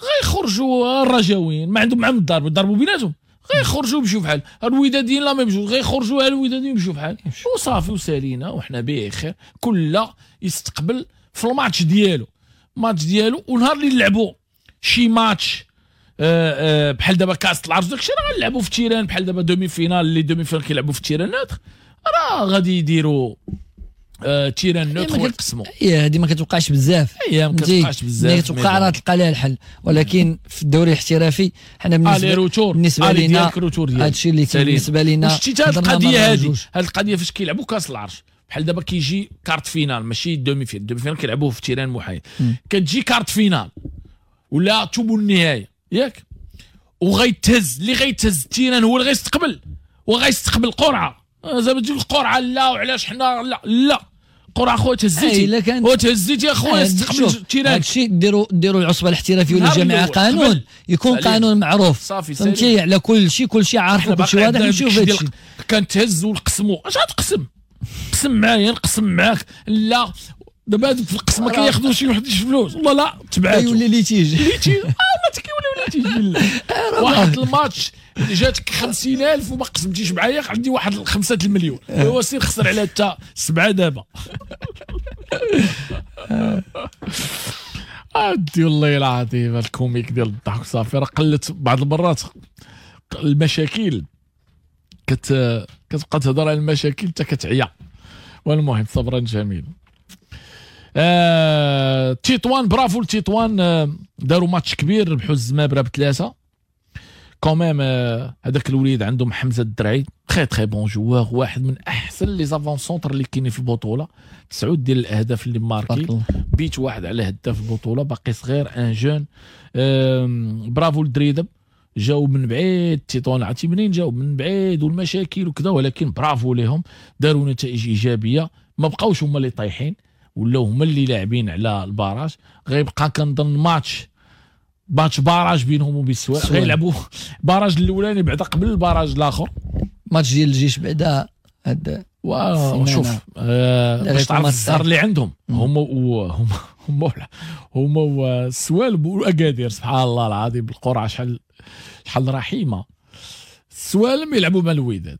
غيخرجوا الرجاويين ما عندهم معاهم الضرب، ضربوا بيناتهم، غيخرجوا يمشيو بحال الوداديين la même chose، غيخرجوا الوداديين يمشيو بحال وصافي وسالينا وحنا بخير. كل يستقبل في الماتش ديالو، ماتش ديالو. ونهار اللي نلعبوا شي ماتش آه آه بحال دابا كاس العرش داكشي راه غنلعبوا في terrain، بحال دابا demi-finale les demi-finales كيلعبوا في terrain neutre، راه غادي يديروا آه terrain neutre ويقسموا. هي هذه ما كتوقعش بزاف، هي ما كتوقعش بزاف، ملي كتوقع راه تلقى لها الحل. ولكن في الدوري الاحترافي حنا بالنسبة بالنسبة لينا هادشي اللي كاين بالنسبة لينا. شتي هاد القضية هادي، هاد القضية فاش كيلعبوا كاس العرش بحال دابا كيجي quart de finale ماشي demi-finale، demi-finale كيلعبوه في terrain محايد، كتجي quart de finale ولا ثمن النهاية ياك، وغيتهز اللي غيتهز ال terrain هو اللي غيستقبل، وغيستقبل قرعه. زعما تجيب القرعة لا وعلاش حنا لا لا قرعه خويا تهزيتي وتهزيتي يا خويا استقبل ال terrain. هادشي ديروا ديروا العصبة الاحترافية ولا الجامعة قانون، يكون قانون معروف فهمتي على كل شيء، كل شيء عارف وكل شيء واضح. نشوف هادشي كنتهز ونقسموا. اش غتقسم؟ قسم معايا نقسم معاك. لا دابا هذوك في القسم ما كياخذوش شي واحد فلوس والله لا تبعاتو يولي litige litige. اه ما كيوليو litige بالله. واحد الماتش جاتك خمسين ألف وما قسمتيش معايا عندي واحد خمسة المليون، هو سير خسر على حتى سبعة دابا. ادي والله العظيم ال comique ديال الضحك صافي. راه قلت بعض المرات المشاكل كت كتبقى تهضر على المشاكل حتى كتعيا. والمهم صبرا جميل. آه... تيطوان، برافو لتيطوان، آه... داروا ماتش كبير، ربحوا الزمابره بثلاثة quand même. هذاك الوليد عندهم حمزة الدرعي très très bon joueur، واحد من احسن les avant-centres اللي كاينين في البطوله، تسعود ديال الاهداف اللي marqué، بيت واحد على هداف البطوله، باقي صغير un jeune. برافو للدريدب، جاو من بعيد تيطوان، عرفتي منين جاو؟ من بعيد والمشاكل وكذا، ولكن برافو لهم، داروا نتائج ايجابية، ما بقاوش هما اللي طايحين، ولاو هما اللي لاعبين على ال barrage. غيبقى كنظن match match barrage بينهم وبين السوالم، غيلعبوا barrage الاولاني بعدا قبل ال barrage الاخر، ماتش ديال الجيش بعدا هاد. شوف آه باش تعرف الزهر اللي عندهم هما هما هما هما السوالم واكادير، سبحان الله العظيم القرعة شحال شحال رحيمه. السوالم يلعبوا مع الوداد،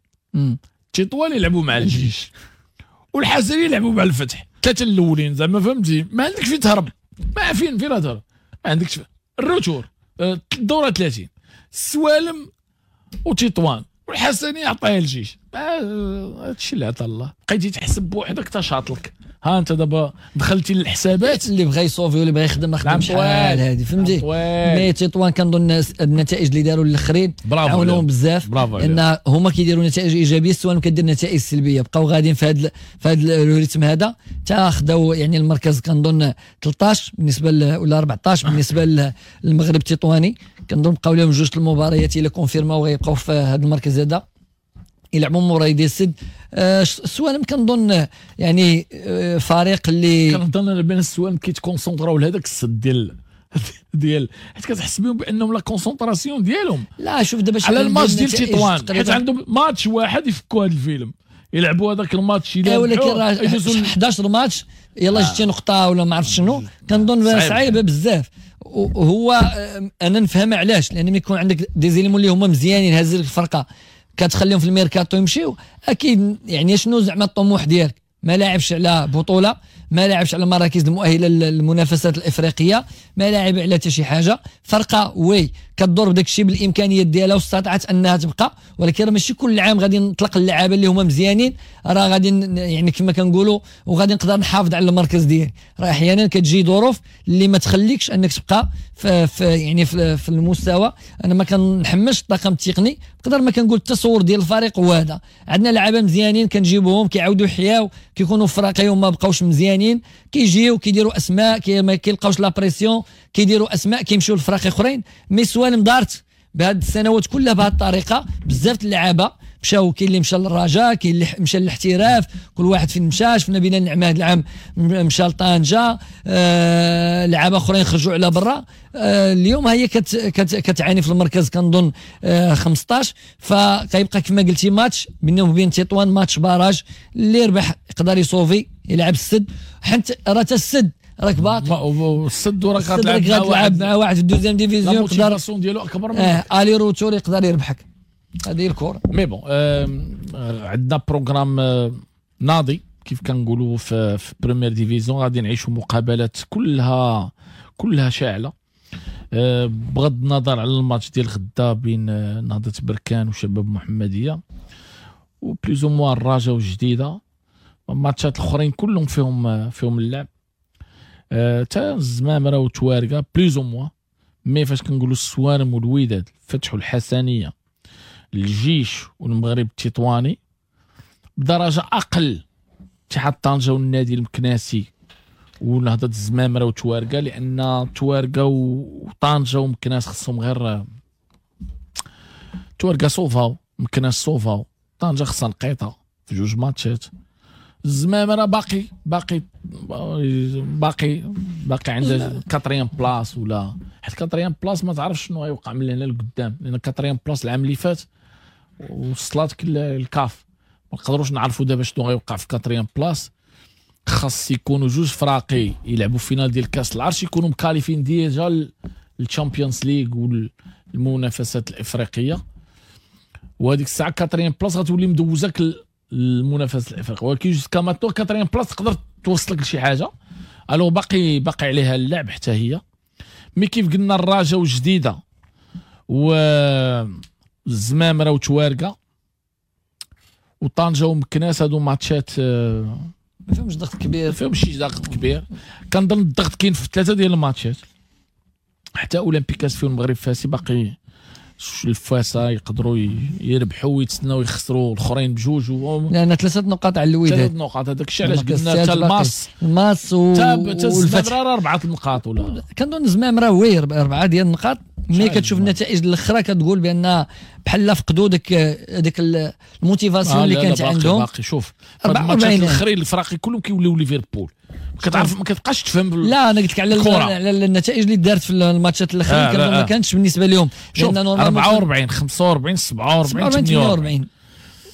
تطوان يلعبوا مع الجيش، والحسنيه يلعبوا مع الفتح، ثلاثة الاولين زعما فهمتي، ما عندكش فين تهرب، ما فين فين تهرب، ما عندكش. ال retour الدورة ثلاثين، السوالم وتطوان والحسنيه عطاها الجيش، هادشي اللي عطا الله. بقيتي تحسب بوحدك تشاطلك، ها انت دابا دخلتي للحسابات، اللي بغى يصوفي واللي بغى يخدم ما خدمش شحال هادي فهمتي. mais تطوان كنظن النتائج اللي داروا الاخرين عاونوهم بزاف، لان هما كيديروا نتائج ايجابية، السوالم كدير نتائج سلبية، بقاو غاديين في هذا في هذا ال rythme هذا حتى خداو يعني المركز كنظن ثلاثة عشر بالنسبة ولا أربعة عشر بالنسبة للمغرب التطواني. كنظن بقاو لهم جوج المباريات الا confirm او غيبقاو في هذا المركز هذا، يلعبوا موراي ديال السد. السوالم كنظن يعني فريق اللي كنظن بان السوالم كيت concentr او لهذاك السد ديال ديال حيت كتحس بهم بانهم la concentration ديالهم لا شوف دابا على الماتش ديال تطوان، حيت عندهم ماتش واحد يفكوا هذا الفيلم، يلعبوا هذاك الماتش الى ولكن راه أحد عشر ماتش يلا جبتي نقطة ولا ما عرفت شنو، كنظن صعيبة بزاف. وهو انا نفهم علاش، لان ملي يكون عندك des éléments اللي هما مزيانين هازين الفرقة كتخليهم في الميركاتو يمشيو، اكيد يعني شنو زعما الطموح ديالك؟ ما لاعبش على بطوله، ما لاعبش على المراكز المؤهله للمنافسات الافريقية، ما لاعب على حتى شي حاجة. فرقه oui كدور بداك الشيء بالامكانيات ديالها واستطاعت انها تبقى، ولكن راه ماشي كل عام غادي نطلق اللعابه اللي هما مزيانين، راه غادي يعني كما كنقولوا وغادي نقدر نحافظ على المركز ديالي. راه احيانا كتجي ظروف اللي ما تخليكش انك تبقى في, في يعني في, في المستوى. انا ما كنحملش الطاقم التقني بقدر ما كنقول التصور ديال الفريق هو هذا. عندنا لعابه مزيانين كنجيبوهم كيعاودوا يحياو، كيكونوا فراقي وما بقاوش مزيانين، كيجيو كيديروا اسماء، كي ما كيلقاوش la pression كيديروا اسماء كيمشيو لفراقي اخرين. mais سوالم دارت بهاد السنوات كلها بهاد الطريقة، بزاف اللعابه مشاو، كاين اللي مشى للرجاء، كاين اللي مشى للاحتراف، كل واحد فين مشى. شفنا بلال النعمة هذا العام مشى لطنجه، آه لعابه اخرين خرجوا على برا. آه اليوم هي كت كت كتعاني في المركز كنظن آه خمسطاش. فكيبقى كما قلتي ماتش بينهم وبين تطوان، match barrage، اللي ربح يقدر يصوفي يلعب السد، حيت راه حتى السد راك باقي السد وراك غتلعب مع واحد مع واحد في ال deuxième division، يقدر ديالو اكبر منك، اه aller-retour يقدر يربحك. هذه هي الكره. mais bon آه عندنا programme آه ناضي كيف كنقولوا في, في première division، غادي نعيشوا مقابلات كلها كلها شاعله، آه بغض النظر على الماتش ديال غدا بين آه نهضة بركان وشباب محمديه و plus ou moins الرجاء والجديده، الماتشات الاخرين كلهم فيهم فيهم اللعب، تا الزمامره وتوارقه plus ou moins. mais فاش كنقولوا السوارم والوداد، الفتح والحسنيه، الجيش والمغرب التطواني، بدرجة اقل اتحاد طنجه والنادي المكناسي ونهضه الزمامره وتوارقه، لان توارقه وطنجه ومكناس خصهم غير توارقه sauv او، مكناس sauv او، طنجه خصها نقيطه في جوج ماتشات. الزمامره باقي باقي باقي باقي عندها quatrième place، ولا حيت quatrième place ما تعرفش شنو غيوقع من هنا لقدام، لان quatrième place العام اللي فات وصلاتك الكاف، ما نقدروش نعرفوا دابا شنو غيوقع في quatrième place. خاص يكونوا جوج فراقي يلعبوا finale ديال كاس العرش يكونوا مكاليفين déjà لل Champions League والمنافسات الافريقية، وهذيك الساعة quatrième place غتولي مدوزاك المنافسة الافريقية. ولكن jusqu'à maintenant quatrième place تقدر توصلك لشي حاجة. alors باقي باقي عليها اللعب حتى هي. mais كيف قلنا الرجاء وجديدة والزمامره وتوارقه وطنجه ومكناس، هادو ماتشات آه، ما فيهمش ضغط كبير، ما فيهمش شي ضغط كبير. كنظن الضغط كاين في ثلاثة ديال الماتشات، حتى اولمبيك اسفي والمغرب فاسي باقي الفاسه يقدروا يربحوا ويتسناو يخسروا الاخرين بجوج و... لان ثلاثة نقاط على الوداد، ثلاثة نقاط. هذاك الشيء علاش قلنا حتى الماس الماس و... والفتح راه اربعة النقاط ولا كنظن الزمام راه oui اربعة ديال النقاط. mais كتشوف النتائج الاخرى كتقول بان بحال فقدوا ديك ديك ال motivation آه اللي كانت عندهم. باقي شوف الماتشات الاخرين الفراقي كلهم كيوليو ليفربول، كتعرف ما كتبقاش تفهم. لا انا قلت لك على على النتائج اللي دارت في الماتشات الاخرين آه كان ما كانتش بالنسبة لهم. لان أربعة وأربعين خمسة وأربعين سبعة وأربعين ثمانية وأربعين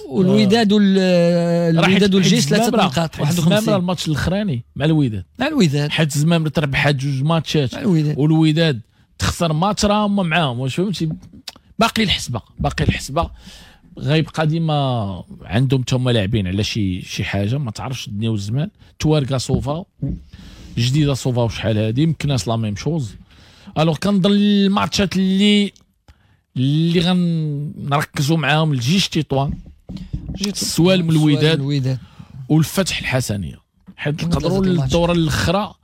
والوداد والوداد والجيش ثلاثة نقاط واحد وخمسين. الماتش الاخراني مع الوداد مع الوداد حيت الزمامره تربحات جوج ماتشات والوداد تخسر ماتش راه هما معاهم، واش فهمتي؟ باقي الحسبة، باقي الحسبة غيبقى ديما عندهم تما لاعبين على شي شي حاجة ما تعرفش الدنيا والزمان. تواركا صوفا جديدة صوفا وشحال هادي مكناس la même chose. alors كنظن الماتشات اللي اللي غنركزوا معاهم الجيش تطوان، السوالم الوداد والفتح الحسنيه، حيت نقدروا الدورة الاخرى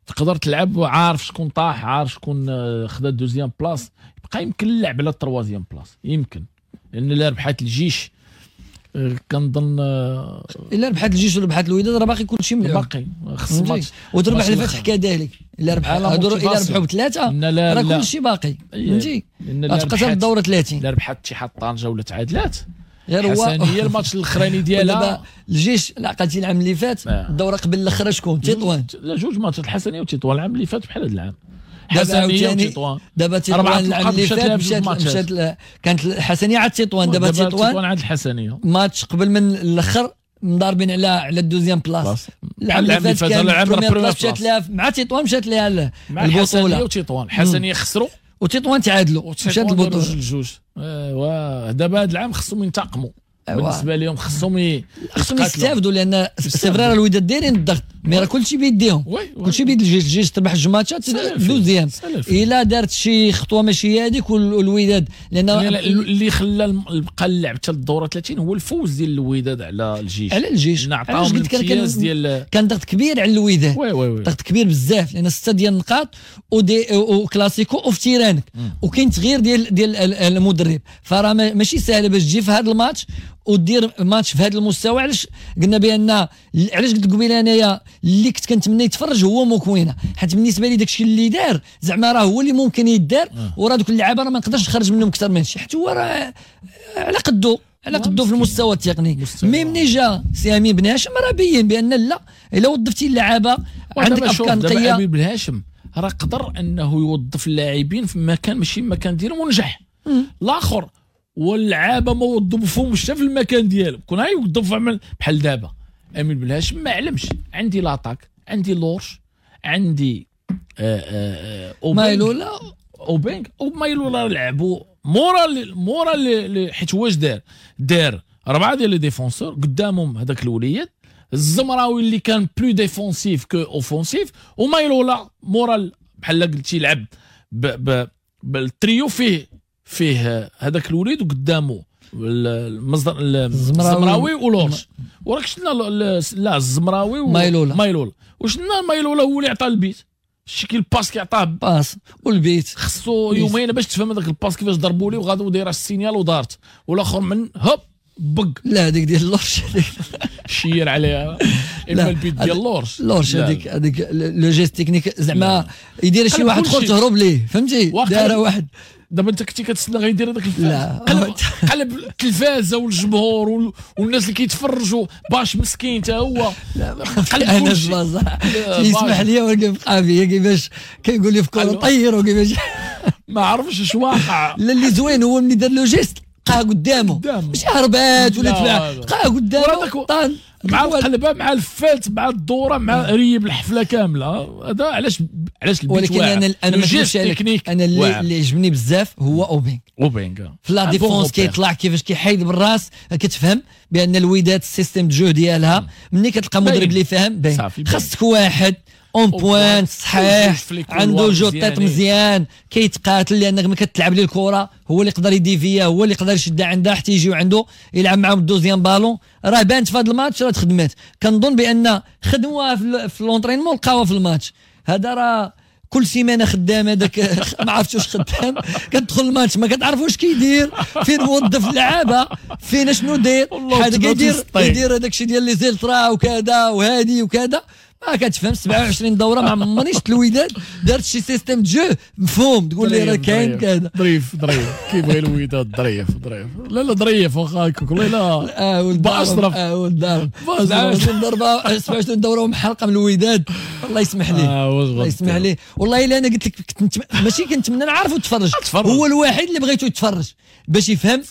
تقدر تلعب وعارف شكون طاح، عارف شكون خدا deuxième place، يبقى يمكن اللعب على ال troisième place يمكن، لان الا ربحات الجيش كنظن الا ربحات الجيش وربحات الوداد راه باقي كلشي ملعوب، باقي خص ماتش وتربح الفتح كذلك. الا ربح الا ربحوا بثلاثة راه كلشي باقي، فهمتي؟ غتبقى حتى الدورة ثلاثين. الا ربحات اتحاد طنجه ولا تعادلات غير هو الحسنيه الماتش الاخراني ديالها الجيش عقلتي العام اللي فات الدورة قبل الاخرى شكون؟ تطوان. لا جوج ماتشات الحسنيه وتطوان العام اللي فات بحال هذا العام. حسنيه وتطوان دابا تطوان العام اللي فات مشات مشات كانت الحسنيه عاد تطوان، دابا تطوان عاد الحسنيه ماتش قبل من الاخر مضاربين على على ال deuxième place. العام اللي فات كان première place مشات لها مع تطوان، مشات لها البطولة. الحسنيه وتطوان، الحسنيه خسروا وتطوان تعادلوا، مشات البطولة جوج. ايوا دابا هذا العام خصهم ينتقموا بالنسبة لهم، خصهم خصهم يستافدوا، لان c'est vrai الوداد دايرين الضغط mais راه كلشي بيديهم، كلشي بيد الجيش. الجيش تربح جوج ماتشات deuxième، الا دارت شي خطوة ماشي هذيك والوداد، لان اللي خلى بقى اللعب حتى الدورة ثلاثين هو الفوز ديال الوداد على الجيش، على الجيش نعطاهم الامتياز ديال كان ضغط كبير على الوداد، ضغط كبير بزاف، لان ستة ديال النقاط ودي وكلاسيكو وفي terrain ك، وكاين تغيير ديال ديال المدرب، فراه ماشي ساهله باش تجي في هذا الماتش ودير ماتش في هذا المستوى. علاش قلنا بان علاش قلت قبيلة انايا اللي كنت كنتمنى يتفرج هو موكوينه، حيت بالنسبة لي داكشي اللي دار زعما راه هو اللي ممكن يدار، وراه دوك اللعابه راه ما نقدرش نخرج منهم اكثر من شي، حيت هو راه على قدو على قدو في المستوى التقني. mais ملي جا سي امين بن هاشم راه بين بان لا، الا وظفتي اللعابه عندك افكار نقية. امين بن هاشم راه قدر انه يوظف اللاعبين في مكان ماشي المكان ديالهم ونجح. الاخر واللعابه ما وظفهمش حتى في المكان ديالهم، كون غيوظف بحال دابا امين بن هاشم ما علمش، عندي l'attaque، عندي لورش، عندي آآ آآ مايلولا اوبينغ ومايلولا لعبوا مورا مورا حيت هو اش دار؟ دار اربعة ديال les défenseurs قدامهم هذاك الوليد الزمراوي اللي كان plus défensif que offensif، ومايلولا مورا بحال قلتي لعب بالتريو فيه فيه هذاك الوليد وقدامه المصدر الزمراوي ولورش، وراك شفنا لا الزمراوي ومايلولا مايلولا، وشفنا مايلولا هو اللي عطى البيت، شتي كي ال passe كيعطاه passe والبيت خصو يومين باش تفهم هذاك ال passe كيفاش ضربوا ليه وغادو دايرة ال signal ودارت، والاخر من هوب بق لا هذيك ديال لورش شير عليها اما البيت ديال لورش لورش هذيك هذيك le geste technique زعما يدير شي واحد اخر تهرب ليه، فهمتي؟ دار واحد دابا انت كنتي كتسنى غيدير هذاك الفاز، قلب قلب التلفازه والجمهور والناس اللي كيتفرجوا باش مسكين حتى هو قلب انا يسمح لي ولكن بقى فيا كيفاش كيقول لي في كره طير وكيفاش ما عرفش اش واقع. لا اللي زوين هو ملي دار le geste لقاها قدامه، ماشي هربات ولا تبع، لقاها قدامه طان مع القلبه مع الفات مع الدورة مع ريب الحفلة كاملة. هذا علاش علاش البيت ولكن انا انا ما نكذبش عليك، انا اللي اللي عجبني بزاف هو اوبينغ اوبينغ في la défense كيطلع كيفاش كيحيد بالراس، كتفهم بان الوداد ال système de jeu ديالها ملي كتلقى مدرب اللي فاهم باين، خاصك واحد en pointe صحيح، عنده jeu de tête مزيان، كيتقاتل لانك ما كتلعب ليه الكره، هو اللي يقدر يديفيا، هو اللي يقدر يشدها عندها حتى يجيو عنده يلعب معاهم ال deuxième ballon. راه بانت في هذا الماتش، راه تخدمات. كنظن بان خدموها في l'entraînement لقاوها في الماتش. هذا راه كل سيمانه خدام هذاك، ما عرفتش واش خدام، كتدخل الماتش ما كتعرف واش كيدير، فين موظف اللعابه، فين شنو داير، هذا كيدير كيدير هذاك الشيء ديال les ultras وكذا وهادي وكذا، ما كتفهم. سبعة وعشرين دوره ما عمرني شفت الوداد دارت شي système de jeu مفهوم تقول لي راه كاين كذا. ظريف ظريف كيبغي الوداد، ظريف ظريف، لا لا ظريف واخا هكاك والله لا. اه ولد اشرف، اه ولد دار سبعة وعشرين ضربه، سبعة وعشرين دوره ومحلقه من الوداد. الله يسمح لي، آه الله يسمح لي والله. الا انا قلت لك كنت ماشي كنتمنى نعرفو تفرج، هو الوحيد اللي بغيتو يتفرج باش يفهم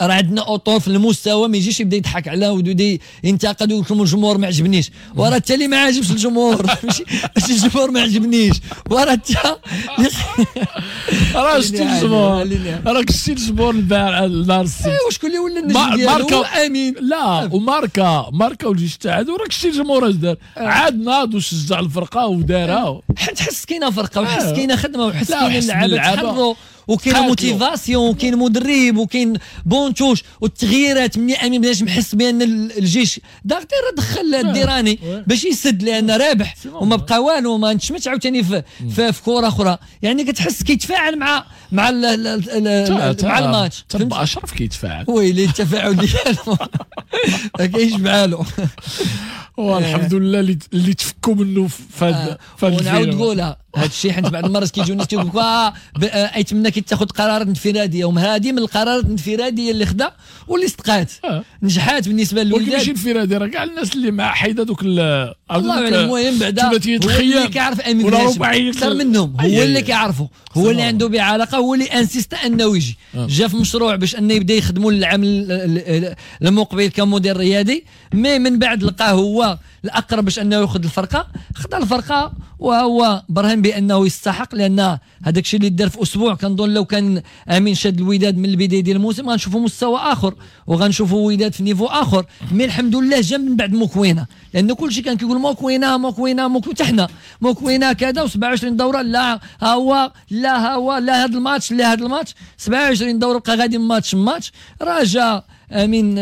راه عندنا اطر في المستوى، ما يجيش يبدا يضحك على ويبدا ينتقد ويقول لكم الجمهور ما عجبنيش، وراه حتى اللي ما عاجبش الجمهور ماشي ماشي الجمهور ما عجبنيش، وراه حتى راه شتي الجمهور، راك شتي الجمهور البارح نهار السبت. ايوا شكون اللي ولا النجم ديالو؟ امين لا وماركا ماركا والجيش تاعو، راك شتي الجمهور اش دار، عاد ناض وشجع الفرقة ودارها. حيت حس كاينه فرقه وحس كاينه خدمة وحس كاينه اللعابه تحروا وكاين motivation وكاين مدرب وكاين banc de touche والتغييرات. مني امين بلاش محس بان الجيش داغتي راه دخل الديراني باش يسد لان رابح وما بقى والو، ما نتشمتش عاوتاني في, في, في كره اخرى. يعني كتحس كيتفاعل مع مع ال ال مع الماتش. تبع اشرف كيتفاعل، ويلي التفاعل ديالو ما كاينش بحالو. والحمد لله اللي اللي تفكوا منه في هذا. ونعاود نقولها هذا الشيء، حيت بعض المرات كيجيو الناس كيقول لك ايتمنى كيتاخذ قرارات انفراديه، وهذه من القرارات الانفراديه اللي خدا واللي صدقات آه. نجحات بالنسبة للوداد. ماشي انفرادي، راه كاع الناس اللي مع حيده دوك الله اعلم. المهم بعدا هو اللي كيعرف امين اكثر منهم، هو اللي كيعرفه، هو اللي عنده بعلاقة، هو اللي insiste انه يجي. جا في مشروع باش انه يبدا يخدموا العام المقبل كمدير رياضي، mais من بعد لقاه هو الاقرب باش انه ياخذ الفرقة، خدا الفرقة وهو برهن بانه يستحق، لان هذاك الشيء اللي دار في اسبوع كنظن لو كان امين شاد الوداد من البداية ديال الموسم غنشوفوا مستوى اخر وغنشوفوا وداد في niveau اخر. mais الحمد لله جا من بعد موكوينه، لان كل شيء كان كيقول موكوينه موكوينه موكوينه، حتى حنا موكوينه كذا وسبعة وعشرين دوره، لا ها هو لا ها هو لا هذا الماتش لا هذا الماتش، سبعة وعشرين دوره بقى غادي match match. راه جا من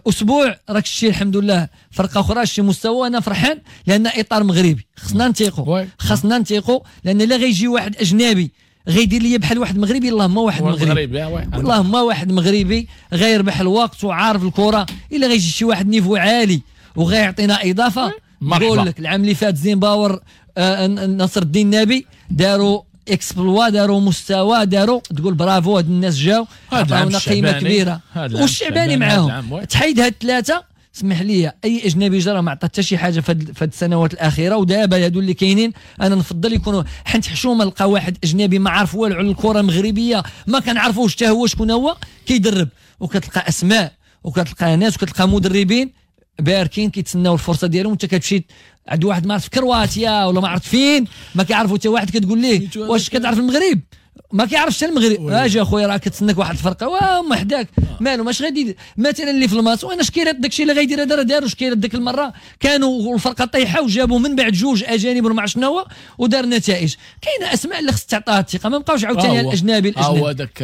اسبوع راك الشيء الحمد لله فرقه اخرى شي مستوى. انا فرحان لان اطار مغربي خصنا نثيقوا، خصنا نثيقوا، لان لا غيجي واحد اجنبي غيدير لي بحال واحد مغربي، اللهم واحد مغربي، اللهم واحد مغربي غيربح الوقت وعارف الكره. الا غيجي شي واحد niveau عالي وغيعطينا اضافه، نقول لك العام اللي فات زيمباور آه نصر الدين النبي داروا exploit، داروا مستوى، داروا تقول برافو هاد الناس جاو عطاونا قيمة كبيرة، والشعباني معاهم. تحيد هاد الثلاثة، اسمح لي اي اجنبي جرى ما عطى حتى شي حاجة في هاد السنوات الاخيرة، ودابا هادو اللي كاينين انا نفضل يكونوا، حيت حشومه نلقى واحد اجنبي ما عارف والو على الكره المغربية، ما كنعرفوش حتى هو شكون هو كيدرب، وكتلقى اسماء وكتلقى ناس وكتلقى مدربين باركين كيتسناو الفرصة ديالهم، وانت كتمشي عند واحد ما عرفت في كرواتيا ولا ما عرفت فين، ما كيعرفوا حتى واحد، كتقول ليه واش كتعرف المغرب؟ ما كيعرفش حتى المغرب. اجي اخويا راه كتسناك واحد الفرقة وهما حداك مالو ماش غادي مثلا اللي في الماتش، وانا شكيرات داكشي اللي غيدير هذا راه داروا شكيرات ديك المرة، كانوا الفرقة طايحة وجابوا من بعد جوج اجانب وما عرفت شنو هو ودار نتائج. كاينه اسماء اللي خص تعطاها الثقة، ما بقاوش عاوتاني الاجنبي الاجنبي. هو هذاك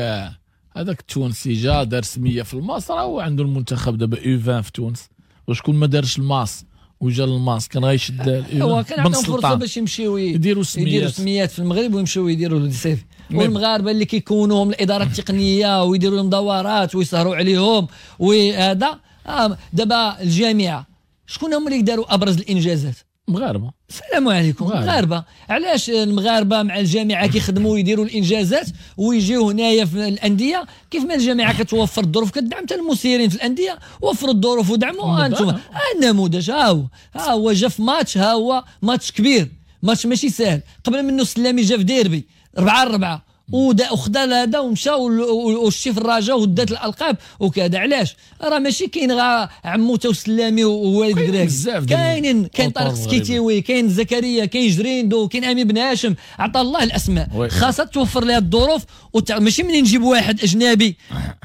هذاك التونسي جا دار سميه في الماس، راه هو عنده المنتخب دابا U عشرين في تونس، وشكون ما دارش الماس وجا للماس كان غيشد. هو كان عندهم فرصة باش يمشيو يديروا سميات، يديروا سميات في المغرب ويمشيو يديروا des CV. والمغاربة اللي كيكونوهم الادارة التقنية ويديروا لهم دورات ويسهروا عليهم وهذا. آه دابا الجامعة شكون هما اللي داروا ابرز الانجازات؟ مغاربة. السلام عليكم، مغاربة. علاش المغاربة مع الجامعة كيخدموا ويديروا الانجازات ويجيو هنايا في الاندية؟ كيف ما الجامعة كتوفر الظروف كتدعم حتى المسيرين في الاندية، وفروا الظروف ودعموا. انتم ها النموذج، ها هو ها هو جا في ماتش، ها هو ماتش كبير، ماتش ماشي ساهل. قبل منه السلامي جا في ديربي أربعة أربعة وخدا هذا ومشى والشي في الرجاء ودات الالقاب وكذا. علاش؟ راه ماشي كاين غا عموتة وسلامي ووالد كراك، كاينين كاين طارق سكيتيوي، كاين زكريا، كاين جريندو، كاين امين بن هاشم، عطى الله الاسماء. خاصها توفر لها الظروف وتع... ماشي منين نجيب واحد اجنبي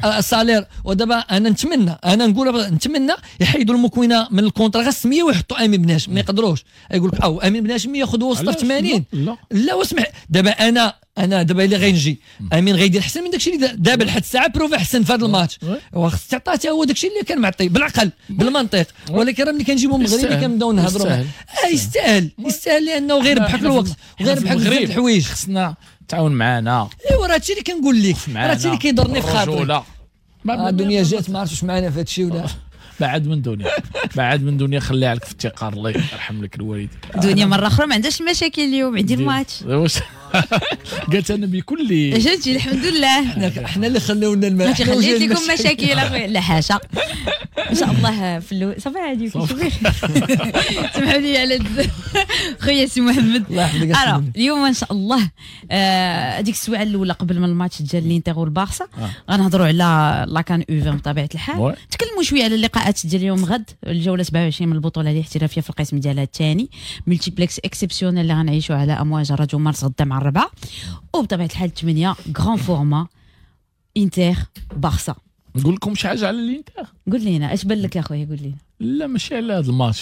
salaire. ودابا انا نتمنى، انا نقول نتمنى يحيدوا المكونة من ال contrat غير السمية ويحطوا امين بن هاشم. ما يقدروش يقول لك او امين بن هاشم ياخذ وسط ثمانين. لا لا واسمح، دابا انا انا دابا اللي غينجي امين غيدير احسن من داكشي اللي دابا لحد الساعة prouvé احسن في هذا الماتش، وخص تعطاه حتى هو داكشي اللي كان معطي بالعقل بالمنطق. ولكن راه ملي كنجيبو مغربي كنبداو نهضروا آه يستاهل يستاهل لانه غير ربحك الوقت وغير ربحك بزاف الحوايج. خصنا تعاون معنا. ايوا راه هادشي اللي كنقول لك، راه هادشي اللي كيضرني في خاطري. الدنيا جات ما عرفتش واش معنا في هادشي ولا بعد من دنيا، بعد من دنيا خليها لك في التقار. الله يرحم لك الوالد. دنيا مرة اخرى ما عندهاش مشاكل اليوم، عندي الماتش. قالت انا بكل جاتي الحمد لله. حنا اللي خلونا الماء، خليت لكم مشاكل اخويا. لا حاشا ان شاء الله في اللو صافي عادي. سمحوا لي على خويا سي محمد. الله يحفظك. اليوم ان شاء الله هذيك السويعه الاولى قبل من الماتش ديال الانتر والبارسا غنهضروا على la CAN U vingt بطبيعة الحال. نتكلموا شوية على اللقاءات ديال اليوم غد، الجولة سبعة وعشرين من البطولة الاحترافية في القسم ديالها الثاني، multiplex exceptionnel اللي غنعيشوا على امواج راديو مارس غدا مع الربعه، وبطبيعة الحال ثمانية grand format انتر بارسا. نقول لكم شي حاجة على الانتر. قول لينا اش بان لك يا خويا، قول لينا. لا ماشي على هذا الماتش،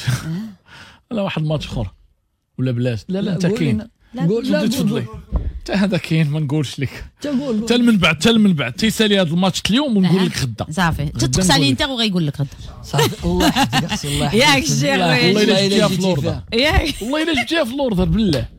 على واحد الماتش اخر ولا بلاش. لا لا انت كاين، قول لا تفضلي حتى هذا كاين ما نقولش لك حتى من بعد، حتى من بعد تيسالي هذا الماتش اليوم ونقول لك غدا. صافي تتقص على الانتر وغيقول لك غدا. صافي الله يحفظك اختي، الله يحفظك. ياك الشيخ والله الا جبتيها في لوردر، ياك والله الا جبتيها في لوردر بالله.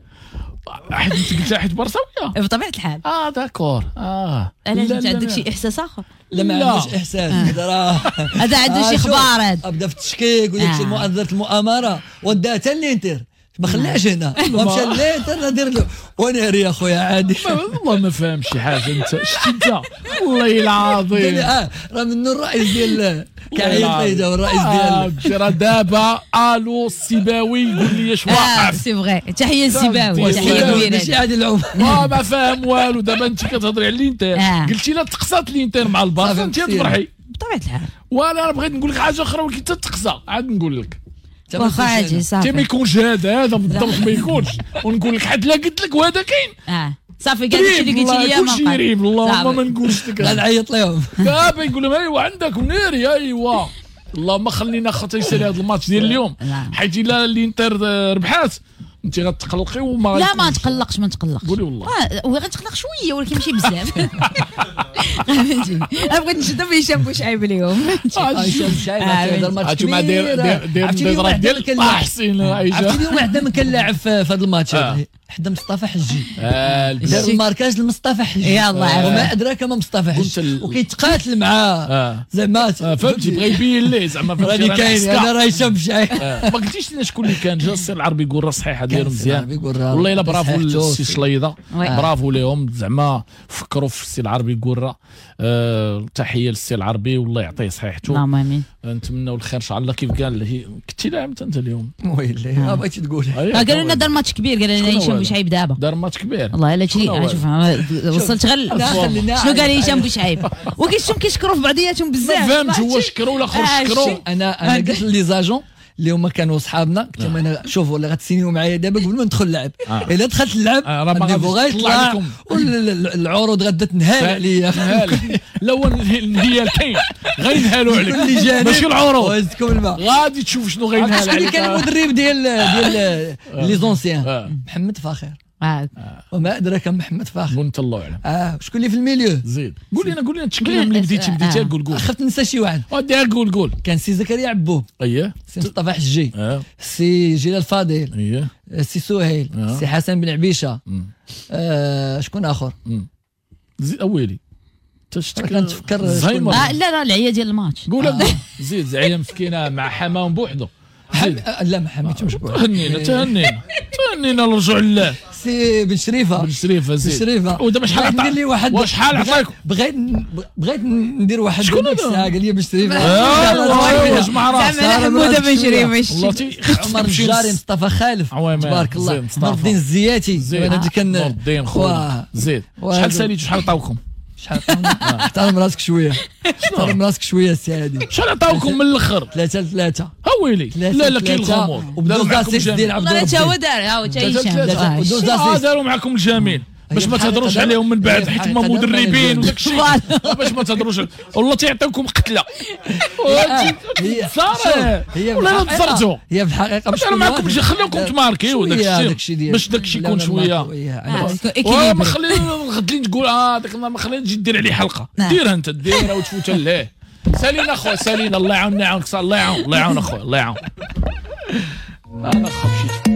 حيت انت قلتها حيت برصاويه بطبيعة الحال. اه d'accord. اه علاش انت عندك شي احساس اخر؟ لا ما عندوش احساس. هذا راه هذا عنده شي اخبار، هذا بدا في التشكيك وداك الشيء مؤازره المؤامرة وداها حتى الانتر، ما خلاش هنا ومشى الانتر ندير له وناري يا خويا عادي. والله ما فاهم شي حاجة انت، شتي انت والله العظيم. اه راه منو الرئيس ديال كعيط لي الرئيس ديال راه دابا الو السيباوي يقول لي اش واقع. c'est vrai تحية للسيباوي، تحية كبيرة. ماشي عادي العمر ما ما فاهم والو. دابا انت كتهضري على الانتر، قلتي لا تقصات الانتر مع البارسا انت تفرحي بطبيعة الحال. وانا بغيت نقول لك حاجة اخرى ولكن تتقصى عاد نقول لك واخا عادي صافي. ما يكونش هذا هذا بالضبط ما يكونش، ونقول لك حد لا قلت لك وهذا كاين. اه صافي كاع داكشي اللي قلتي لي كلشي يريب. اللهم ما نقولش لك غنعيط لهم دابا يقول لهم ايوا عندك وناري ايوا. اللهم خلينا خاطر يسالي هذا الماتش ديال اليوم، حيت الا الانتر ربحات انت غتقلقي وما لا ما نتقلقش ما نتقلقش. قولي والله هو غنتقلق شوية ولكن ماشي بزاف. فهمتي انا بغيت نشد في هشام بوشعيب اليوم. هشام بوشعيب هذا الماتش كبير. داير داير ديال احسن. عرفتي اليوم واحد من كان لاعب في هذا الماتش حدا مصطفى حجي، دار ال marquage لمصطفى حجي. يلاه وما ادراك ما مصطفى حجي، وكيتقاتل معاه زعما فهمتي، بغى يبين ليه زعما راني كاين انا راه هشام بوشعيب. ما قلتيش لنا شكون اللي كان جا. السي العربي يقول راه صحيحه ديالو مزيان والله الا برافو للسي شليضه، برافو ليهم زعما فكروا في السي العربي قرة. أه تحية للسي العربي والله يعطيه صحيحته. اللهم امين. نتمنوا الخير ان شاء الله. كيف قال كنتي لاعب انت اليوم؟ ويلي ما بغيتي تقول. قالوا لنا دار ماتش كبير، قال لنا هشام بوشعيب دابا دار ماتش كبير. والله الا شي شوف وصلت غير شنو قال هشام بوشعيب وكيشتم كيشكروا في بعضياتهم بزاف. ما فهمتش هو شكروا ولا اخر شكروا. انا انا قلت les agents اللي هما كانوا صحابنا قلت لهم انا شوفوا اللي غتسينيو معايا دابا قبل ما ندخل اللعب، الا دخلت اللعب ال niveau غيطلع والعروض غادا تنهال عليا. لا هو الانهيار كاين غينهالوا عليك ماشي العروض. وزدكم الماء غادي تشوف شنو غينهال عليك. شكون اللي كان المدرب ديال ديال les anciens؟ محمد فاخر. آه. وما ادراك محمد فاخر وانت الله اعلم. اه شكون اللي في ال milieu؟ زيد قول لنا قول لنا التشكيلة ملي بديتي بديتي قول قول. خفت ننسى شي واحد. وديها قول قول. كان سي زكريا عبوب، اييه، سي مصطفى حجي، آه. سي جلال فاضل، اييه، سي سهيل، آه. سي حسن بن عبيشه، آه شكون اخر؟ زيد اويلي كنتفكر. آه لا لا العيا ديال الماتش. قول آه. زيد زعيا مسكينه مع حمام بوحدو. حم... لا ما حميتهمش بوحدو. تهنينا تهنينا تهنينا الرجوع لله. سي بن شريفه بن شريفه زيد بن شريفه. ودابا شحال ندير لي واحد، وشحال عطاك؟ بغيت بغيت ندير واحد شكون هذا؟ قال لي بن شريفه. ايوا جمع راسك. زعما حموده بن شريفه. عمر الجاري، مصطفى خالف، تبارك الله، نور الدين الزياتي. انا كان نور الدين خويا زيد. شحال ساليتو شحال عطاوكم؟ شحال احترم راسك شوية، احترم راسك شوية السي عادل. شحال عطاوكم من الاخر؟ ثلاثة لثلاثة. هاويلي. لا لا كاين الغموض. وداروا معكم ديال عبد الرب. حتى هو دار، ها هو حتى هشام. داروا معكم الجميل باش ما تهضروش عليهم من بعد، حيت هما مدربين وداك الشيء، باش ما تهضروش والله تيعطيوكم قتله. صار ولا تصرتوا. هي في الحقيقة مش معكم، خليكم تماركيو داك الشيء باش داك الشيء يكون شوية. ما خلينا غد لي تقول اه داك النهار ما خلينا تجي دير عليه حلقة، ديرها انت، ديرها وتفوت ليه. سالينا اخويا، سالينا، الله يعاوننا يعاونك، الله يعاون، الله يعاون اخويا، الله يعاون. انا مشيت.